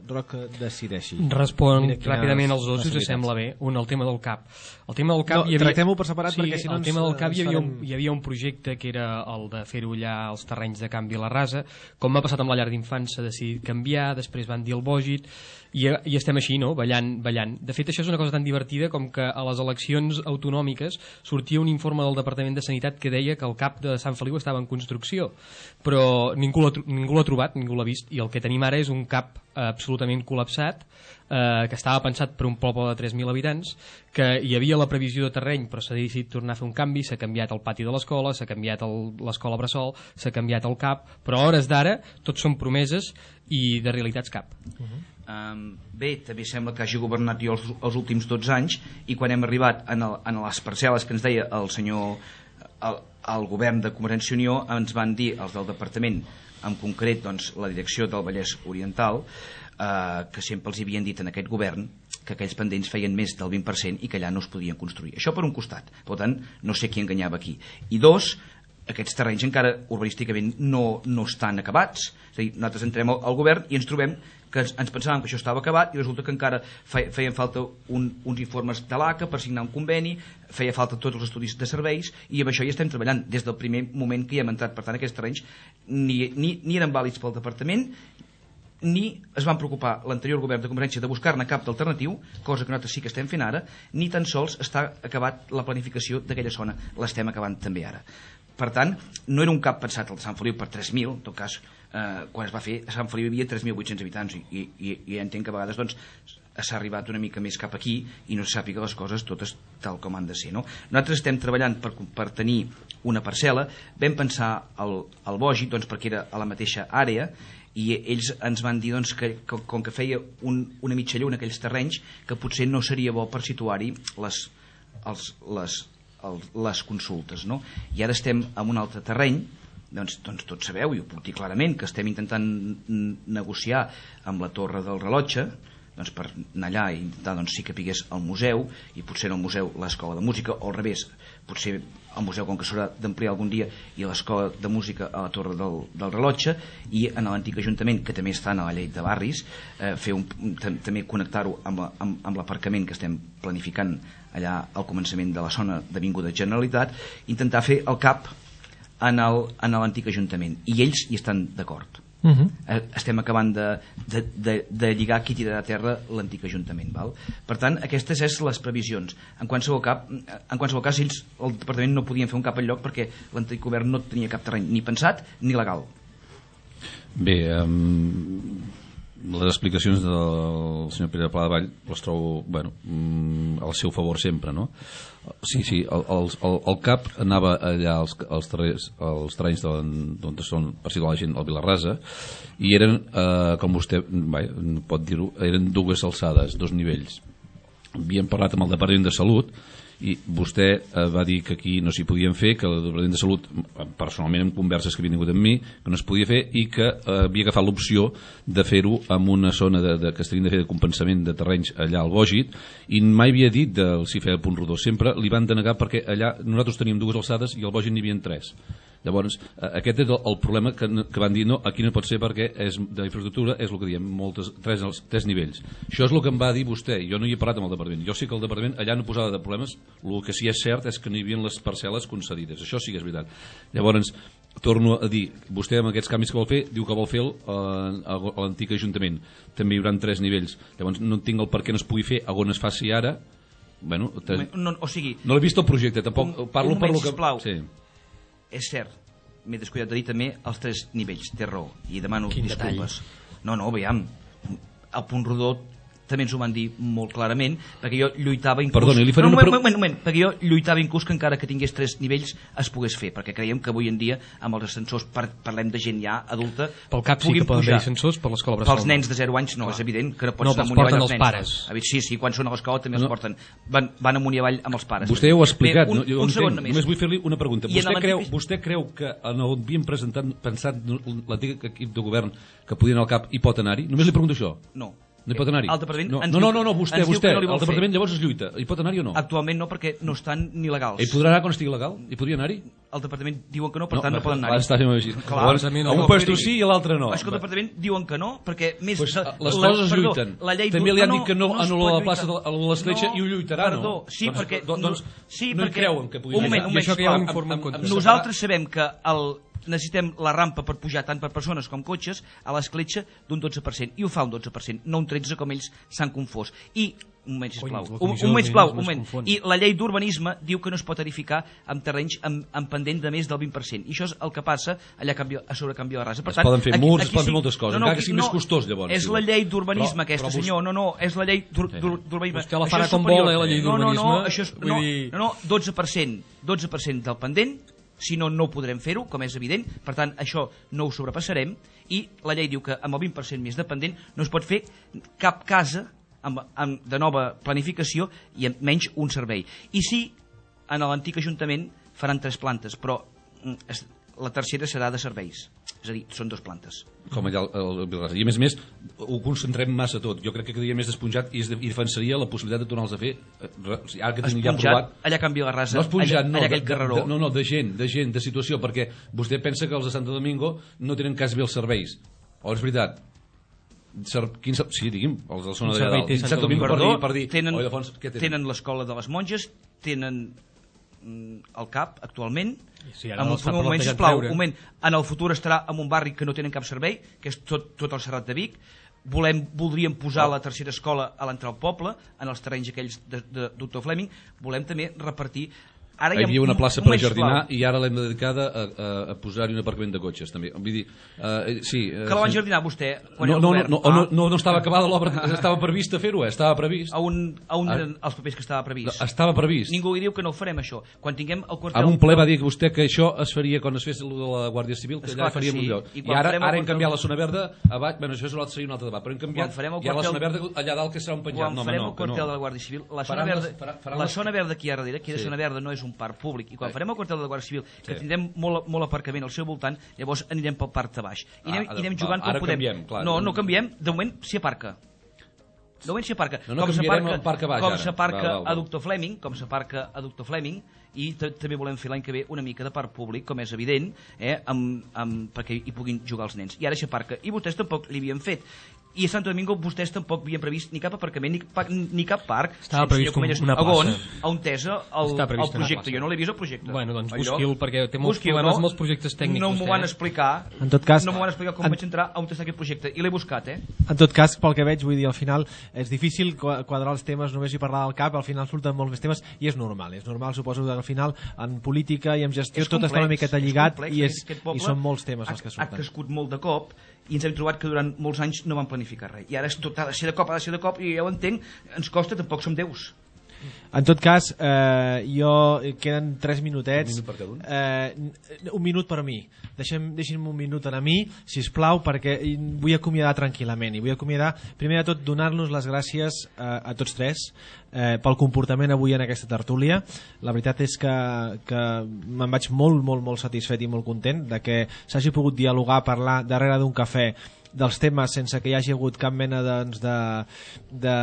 Roc decideixi. Respon ràpidament als dos, si us sembla bé. Un, el tema del C A P. El tema del C A P no, hi havia... tractem-ho per separat, sí, perquè si no el tema del C A P hi havia, farem... un, hi havia un projecte que era el de fer-ho allà als terrenys de Can Vilarrasa. Com m'ha passat amb la llar d'infants, s'ha decidit canviar, després van dir el Bògit, i, i estem així, no?, ballant, ballant. De fet, això és una cosa tan divertida com que a les eleccions autonòmiques sortia un informe del Departament de Sanitat que deia que el C A P de Sant Feliu estava en construcció, però ningú l'ha ningú l'ha trobat, ningú l'ha vist, i el que tenim ara és un C A P absolutament col·lapsat, eh, que estava pensat per un poble de tres mil habitants, que hi havia la previsió de terreny, però s'ha decidit tornar a fer un canvi, s'ha canviat el pati de l'escola, s'ha canviat l'escola Bressol, s'ha canviat el C A P, però a hores d'ara tot són promeses i de realitats cap. Uh -huh. Um, bé, també sembla que hagi governat jo els, els últims dotze anys, i quan hem arribat en, el, en les parcel·les que ens deia el senyor el, el govern de Convergència i Unió, ens van dir els del departament, en concret doncs, la direcció del Vallès Oriental, eh, que sempre els havien dit en aquest govern que aquells pendents feien més del vint per cent i que allà no es podien construir. Això per un costat, per tant no sé qui enganyava aquí. I dos, aquests terrenys encara urbanísticament no, no estan acabats. És a dir, nosaltres entrem al, al govern i ens trobem que ens, ens pensàvem que això estava acabat i resulta que encara feien falta un, uns informes de l'A C A per signar un conveni, feia falta tots els estudis de serveis, i amb això hi estem treballant des del primer moment que hi hem entrat. Per tant, aquests terrenys ni, ni, ni eren vàlids pel departament, ni es van preocupar l'anterior govern de Convergència de buscar-ne cap d'alternatiu, cosa que nosaltres sí que estem fent ara, ni tan sols està acabat la planificació d'aquella zona, l'estem acabant també ara. Per tant, no era un cap pensat al de Sant Feliu per tres mil, en tot cas, eh, quan es va fer, a Sant Feliu hi havia tres mil vuit-cents habitants, i, i, i entenc que a vegades doncs, s'ha arribat una mica més cap aquí i no se sàpiga les coses totes tal com han de ser, no? Nosaltres estem treballant per, per tenir una parcel·la. Vam pensar al, al Bògit, doncs, perquè era a la mateixa àrea, i ells ens van dir doncs, que, que com que feia un, una mitja lluna aquells terrenys, que potser no seria bo per situar-hi les, els, les, els, les consultes, no? I ara estem en un altre terreny, doncs, doncs tots sabeu, i ho puc dir clarament, que estem intentant negociar amb la Torre del Rellotge, doncs per anar allà i intentar doncs, sí que pigués al museu, i potser en el museu l'escola de música, o al revés, potser el museu, com que s'haurà d'ampliar algun dia, i l'escola de música a la Torre del, del Rellotge, i en l'antic Ajuntament, que també està en la llei de barris, eh, fer un, també connectar-ho amb, amb, amb l'aparcament que estem planificant allà al començament de la zona d'Avinguda Generalitat, intentar fer el cap en l'antic Ajuntament, i ells hi estan d'acord. Uh -huh. Estem acabant de, de, de, de lligar qui tirarà a terra l'antic Ajuntament, val? Per tant, aquestes són les previsions. En qualsevol, cap, en qualsevol cas, ells, el departament, no podien fer un cap al lloc perquè l'antic govern no tenia cap terreny ni pensat ni legal. Bé, um, les explicacions del senyor Pere Pla de Vall les trobo, bueno, al seu favor sempre, no? Sí, sí, el, el, el, el C A P anava allà als, als, terrenys, als terrenys d'on són, per situar la gent, al Vilarrasa, i eren, eh, com vostè vai, pot dir-ho, eren dues alçades, dos nivells. Havíem parlat amb el Departament de Salut i vostè eh, va dir que aquí no s'hi podien fer, que el Departament de Salut, personalment en converses que havia tingut amb mi, que no es podia fer i que eh, havia agafat l'opció de fer-ho en una zona de, de, que estarien de fer de compensament de terrenys allà al Bògit, i mai havia dit del si feia el punt rodó, sempre li van denegar perquè allà nosaltres teníem dues alçades i al Bògit n'hi havia tres. Llavors, aquest és el problema que, que van dir, no, aquí no pot ser perquè és, de infraestructura és el que diem, moltes, tres, tres nivells. Això és el que em va dir vostè, jo no hi he parlat amb el departament. Jo sé que el departament allà no posava de problemes, el que sí és cert és que no hi havia les parcel·les concedides, això sí que és veritat. Llavors, torno a dir, vostè amb aquests canvis que vol fer, diu que vol fer a l'antic Ajuntament. També hi haurà tres nivells. Llavors, no entenc el per què no es pugui fer on es faci ara. Bueno, no, o sigui, no l'he vist el projecte, tampoc un, parlo un per moment, lo que... Sisplau. Sí. És cert, m'he descuidat de dir també els tres nivells, té raó, i demano Quin disculpes. Detall. No, no, veiem, el punt rodó també ens ho van dir molt clarament, perquè jo lluitava inclús... Perdoni, li faré no, una... moment, moment, moment, perquè jo lluitava inclús que encara que tingués tres nivells es pogués fer, perquè creiem que avui en dia amb els ascensors, par parlem de gent ja adulta, pel cap sí que poden haver ascensors, per l'escola Bressol. Pels nens de zero anys no, Clar. És evident que no pots no, anar amunt i avall els nens. Pares. No. Sí, sí, quan són a l'escola també no. els porten. Van, van amunt i avall amb els pares. Vostè ho ha explicat, Bé, un, no? Jo un entenc, segon només. Només vull fer-li una pregunta. Vostè creu, pis... vostè creu que en el havien presentat, pensat l'antic equip de govern que podien al cap i pot anar-hi? Només li pregunto això. No. No hi pot anar-hi. El departament no, ens no, diu- no, no, vostè, ens diu vostè, que no li vol el departament fer. llavors es lluita. Hi pot anar-hi o no? Actualment no, perquè no estan ni legals. Hi podrà anar quan estigui legal? Hi podria anar-hi? El departament diuen que no, per tant no, poden anar-hi. Està fent així. Clar, Llavors, a un puesto sí i a l'altre no. És que el departament diuen que no, perquè més... Pues, de- les la- coses es perdó, lluiten. la llei També diu- li han no, dit que no no es anul·la pot la plaça lluitar. de l'escletxa i ho lluitarà, no? Perdó, sí, Doncs- perquè... do- doncs sí, no hi perquè, creuen que pugui un moment, lluitar. un I això que hi ha un moment, informe en sisplau. contra. Nosaltres sabem que el, necessitem la rampa per pujar tant per persones com cotxes a l'escletxa d'un dotze per cent, i ho fa un dotze per cent, no un tretze com ells s'han confós. I un moment, sisplau, Cony, la un, comissió un moment, sisplau, un d'urbanisme es moment. confon. I la llei d'urbanisme diu que no es pot edificar amb terrenys amb, amb pendent de més del vint per cent. I això és el que passa allà a, canvi, a sobre canvi de rasa. Per Es poden fer murs, es poden fer moltes coses, encara que aquí sigui més costós, llavors, És si la vol. llei d'urbanisme Però- aquesta, però vos- senyor. No, no, és la llei d'ur- Sí. d'ur- d'urbanisme. Vostè la Això farà és com superior. vol, eh, la llei No, no, no, d'urbanisme. això és, Vull no, dir- no, no, dotze per cent, dotze per cent del pendent, si no, no ho podrem fer-ho, com és evident, per tant, això no ho sobrepassarem, i la llei diu que amb el vint per cent més dependent no es pot fer cap casa amb, amb, de nova planificació i amb menys un servei. I sí, en l'antic Ajuntament faran tres plantes, però mm, es, la tercera serà de serveis, és a dir, són dues plantes. Com allà al al Vilaràs. I a més a més, ho concentrem massa tot. Jo crec que quedaria més despenjat i, es de, i defensaria la possibilitat de tornar-los a fer. eh, re- o sigui, Ara que tenim ja Esponjat, aprovat... allà a Can Vilarrasa, No esponjat, allà, no, allà de, aquell carreró. de, no, no, de gent, de gent, de situació, perquè vostè pensa que els de Santo Domingo no tenen quasi bé els serveis. O és veritat? Ser, quin, ser- sí, digui'm, els de la zona Quin d'allà servei dalt. té Santo Santo Domingo per Perdó, dir... Per dir tenen, oh, Ildefons, què tenen? tenen l'escola de les monges, tenen mm, el CAP actualment. Sí, ara en un, l'estan un moment, plantejant sisplau, treure. un moment, en el futur estarà en un barri que no tenen cap servei, que és tot, tot el Serrat de Vic. Volem, voldríem posar la tercera escola a l'entrar al poble, en els terrenys aquells de, de doctor Fleming. Volem també repartir... Ara Hi havia una plaça per jardinar sisplau. i ara l'hem dedicada a, a, a posar-hi un aparcament de cotxes també. Vull dir, uh, sí, uh, Que la van jardinar vostè quan no, era no, govern. no, no, no, no estava acabada l'obra, estava previst a fer-ho, eh? Estava previst. A un, a un Ah. eren els papers que estava previst. Estava previst. Ningú hi diu que no ho farem, això. Quan tinguem el quartel... En un ple va dir que vostè que això es faria quan es fes el de la Guàrdia Civil, que Esclar allà que faríem sí. un lloc. I I, quan ara, farem el ara hem quartel- canviat la zona verda a baix, bueno, això seria un altre debat, però hem canviat, Quan farem el hi ha la quartel- zona verda allà dalt que serà un penjat. Quan No, home, farem no, el que quartel no. de la Guàrdia Civil, la zona Faran les- verda, farà- faran la les- zona verda aquí a darrere, que de Sí. zona verda no és un parc públic, i quan Sí. farem el quartel de la Guàrdia Civil, que Sí. tindrem molt, molt aparcament al seu voltant, llavors anirem pel parc de baix. I anem, Ah, i anem va, jugant ara com podem. canviem, clar. no, no canviem, de moment s'hi aparca. De moment s'hi aparca. No, no, com canviarem s'aparca- el parc a baix, com ara. s'aparca Val, val, val. a Doctor Fleming, com s'aparca a Doctor Fleming, i t- també volem fer l'any que ve una mica de parc públic, com és evident, eh, amb, amb, perquè hi puguin jugar els nens. I ara s'aparca. I vostès tampoc l'hi havien fet. I a Santo Domingo vostès tampoc havien previst ni cap aparcament ni, pa, ni cap parc. Estava previst senyor Comelles, una a on, plaça. a on tesa el, Està el previst una projecte. plaça. Jo no l'he vist el projecte. Bueno, doncs Allò- busqui'l, perquè té molts busqui'l, problemes no? amb els projectes tècnics, No m'ho vostè, van eh? explicar. En tot cas- no m'ho van explicar com en- vaig entrar on està aquest projecte. I l'he buscat, eh? En tot cas, pel que veig, vull dir, al final és difícil qua- quadrar els temes només i parlar del cap, al final surten molts més temes i és normal, és normal, suposo que al final en política i en gestió És tot complex, està una miqueta és lligat complex, i, és, aquest i poble són molts temes els que ha, ha surten. crescut molt de cop i ens hem trobat que durant molts anys no van planificar res. I ara és tot, ha de ser de cop, ha de ser de cop, i ja ho entenc, ens costa, tampoc som déus. En tot cas, eh, jo queden tres minutets. Un minut per cada un? Eh, un minut per mi. Deixem, deixi'm un minut a mi, sisplau, perquè vull acomiadar tranquil·lament. I vull acomiadar, primer de tot, donar-nos les gràcies a, a tots tres eh, pel comportament avui en aquesta tertúlia. La veritat és que, que me'n vaig molt, molt, molt satisfet i molt content de que s'hagi pogut dialogar, parlar darrere d'un cafè dels temes sense que hi hagi hagut cap mena doncs, de... de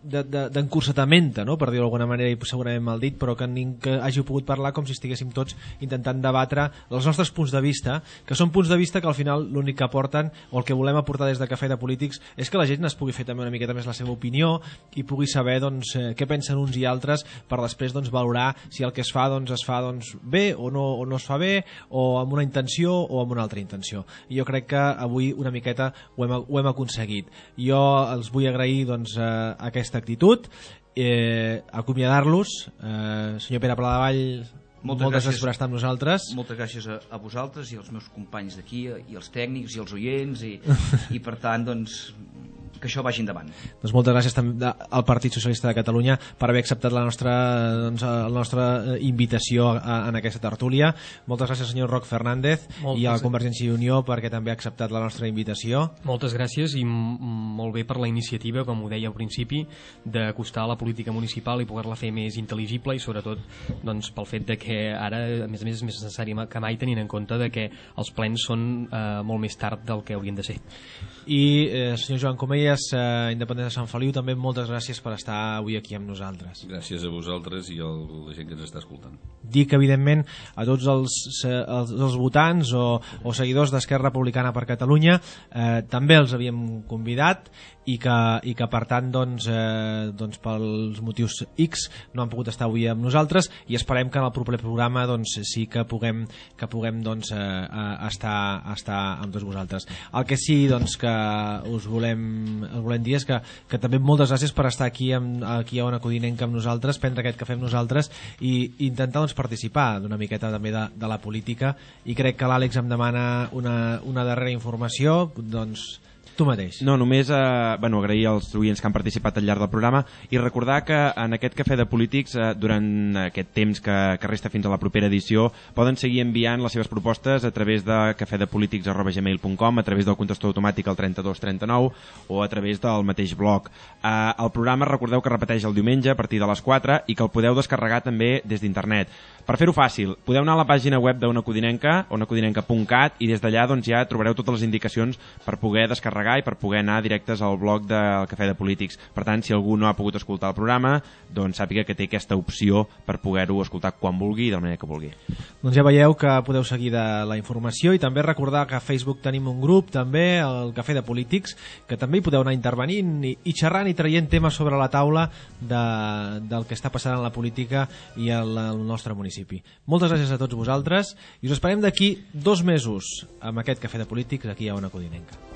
d'encursetament, no? Per dir-ho d'alguna manera, i segurament mal dit, però que, ning, que hàgiu pogut parlar com si estiguéssim tots intentant debatre els nostres punts de vista, que són punts de vista que al final l'únic que aporten, o el que volem aportar des de Cafè de Polítics, és que la gent es pugui fer també una miqueta més la seva opinió i pugui saber doncs, eh, què pensen uns i altres per després doncs, valorar si el que es fa doncs, es fa doncs, bé o no, o no es fa bé, o amb una intenció o amb una altra intenció. I jo crec que avui una miqueta ho hem, ho hem aconseguit. Jo els vull agrair doncs, eh, aquesta actitud, eh, acomiadar-los, eh, senyor Pere Pladevall, moltes, moltes gràcies per estar amb nosaltres. Moltes gràcies a, a vosaltres i als meus companys d'aquí, i els tècnics i els oients, i, i per tant, doncs, que això vagi endavant. Doncs moltes gràcies també al Partit Socialista de Catalunya per haver acceptat la nostra, doncs, la nostra invitació a, en aquesta tertúlia. Moltes gràcies senyor Roc Fernández moltes i a la Convergència i Unió perquè també ha acceptat la nostra invitació. Moltes gràcies i molt bé per la iniciativa, com ho deia al principi, d'acostar la política municipal i poder-la fer més intel·ligible i sobretot doncs, pel fet de que ara a més a més és més necessari que mai tenint en compte de que els plens són eh, molt més tard del que haurien de ser. I eh, senyor Joan Comelles, eh, independent de Sant Feliu, també moltes gràcies per estar avui aquí amb nosaltres. Gràcies a vosaltres i a la gent que ens està escoltant. Dic, evidentment, a tots els, els, els votants o, o seguidors d'Esquerra Republicana per Catalunya, eh, també els havíem convidat i que, i que per tant doncs, eh, doncs pels motius X no han pogut estar avui amb nosaltres i esperem que en el proper programa doncs, sí que puguem, que puguem doncs, eh, estar, estar amb tots vosaltres. El que sí doncs, que us volem, us volem dir és que, que també moltes gràcies per estar aquí, amb, aquí a Ona Codinenca amb nosaltres, prendre aquest cafè amb nosaltres i intentar doncs, participar d'una miqueta també de, de la política i crec que l'Àlex em demana una, una darrera informació, doncs tu mateix. No, només eh, bueno, agrair als oients que han participat al llarg del programa i recordar que en aquest Cafè de Polítics, eh, durant aquest temps que, que resta fins a la propera edició, poden seguir enviant les seves propostes a través de cafedepolítics arroba gmail punt com, a través del contestador automàtic al trenta-dos trenta-nou o a través del mateix blog. Eh, el programa recordeu que repeteix el diumenge a partir de les quatre i que el podeu descarregar també des d'internet. Per fer-ho fàcil, podeu anar a la pàgina web d'Ona Codinenca, ona codinenca punt cat, i des d'allà doncs, ja trobareu totes les indicacions per poder descarregar i per poder anar directes al blog del Cafè de Polítics. Per tant, si algú no ha pogut escoltar el programa, doncs sàpiga que té aquesta opció per poder-ho escoltar quan vulgui i de la manera que vulgui. Doncs ja veieu que podeu seguir de la informació i també recordar que a Facebook tenim un grup també, el Cafè de Polítics, que també hi podeu anar intervenint i, i xerrant i traient temes sobre la taula de, del que està passant en la política i al, al nostre municipi. Moltes gràcies a tots vosaltres i us esperem d'aquí dos mesos amb aquest Cafè de Polítics aquí a Ona Codinenca.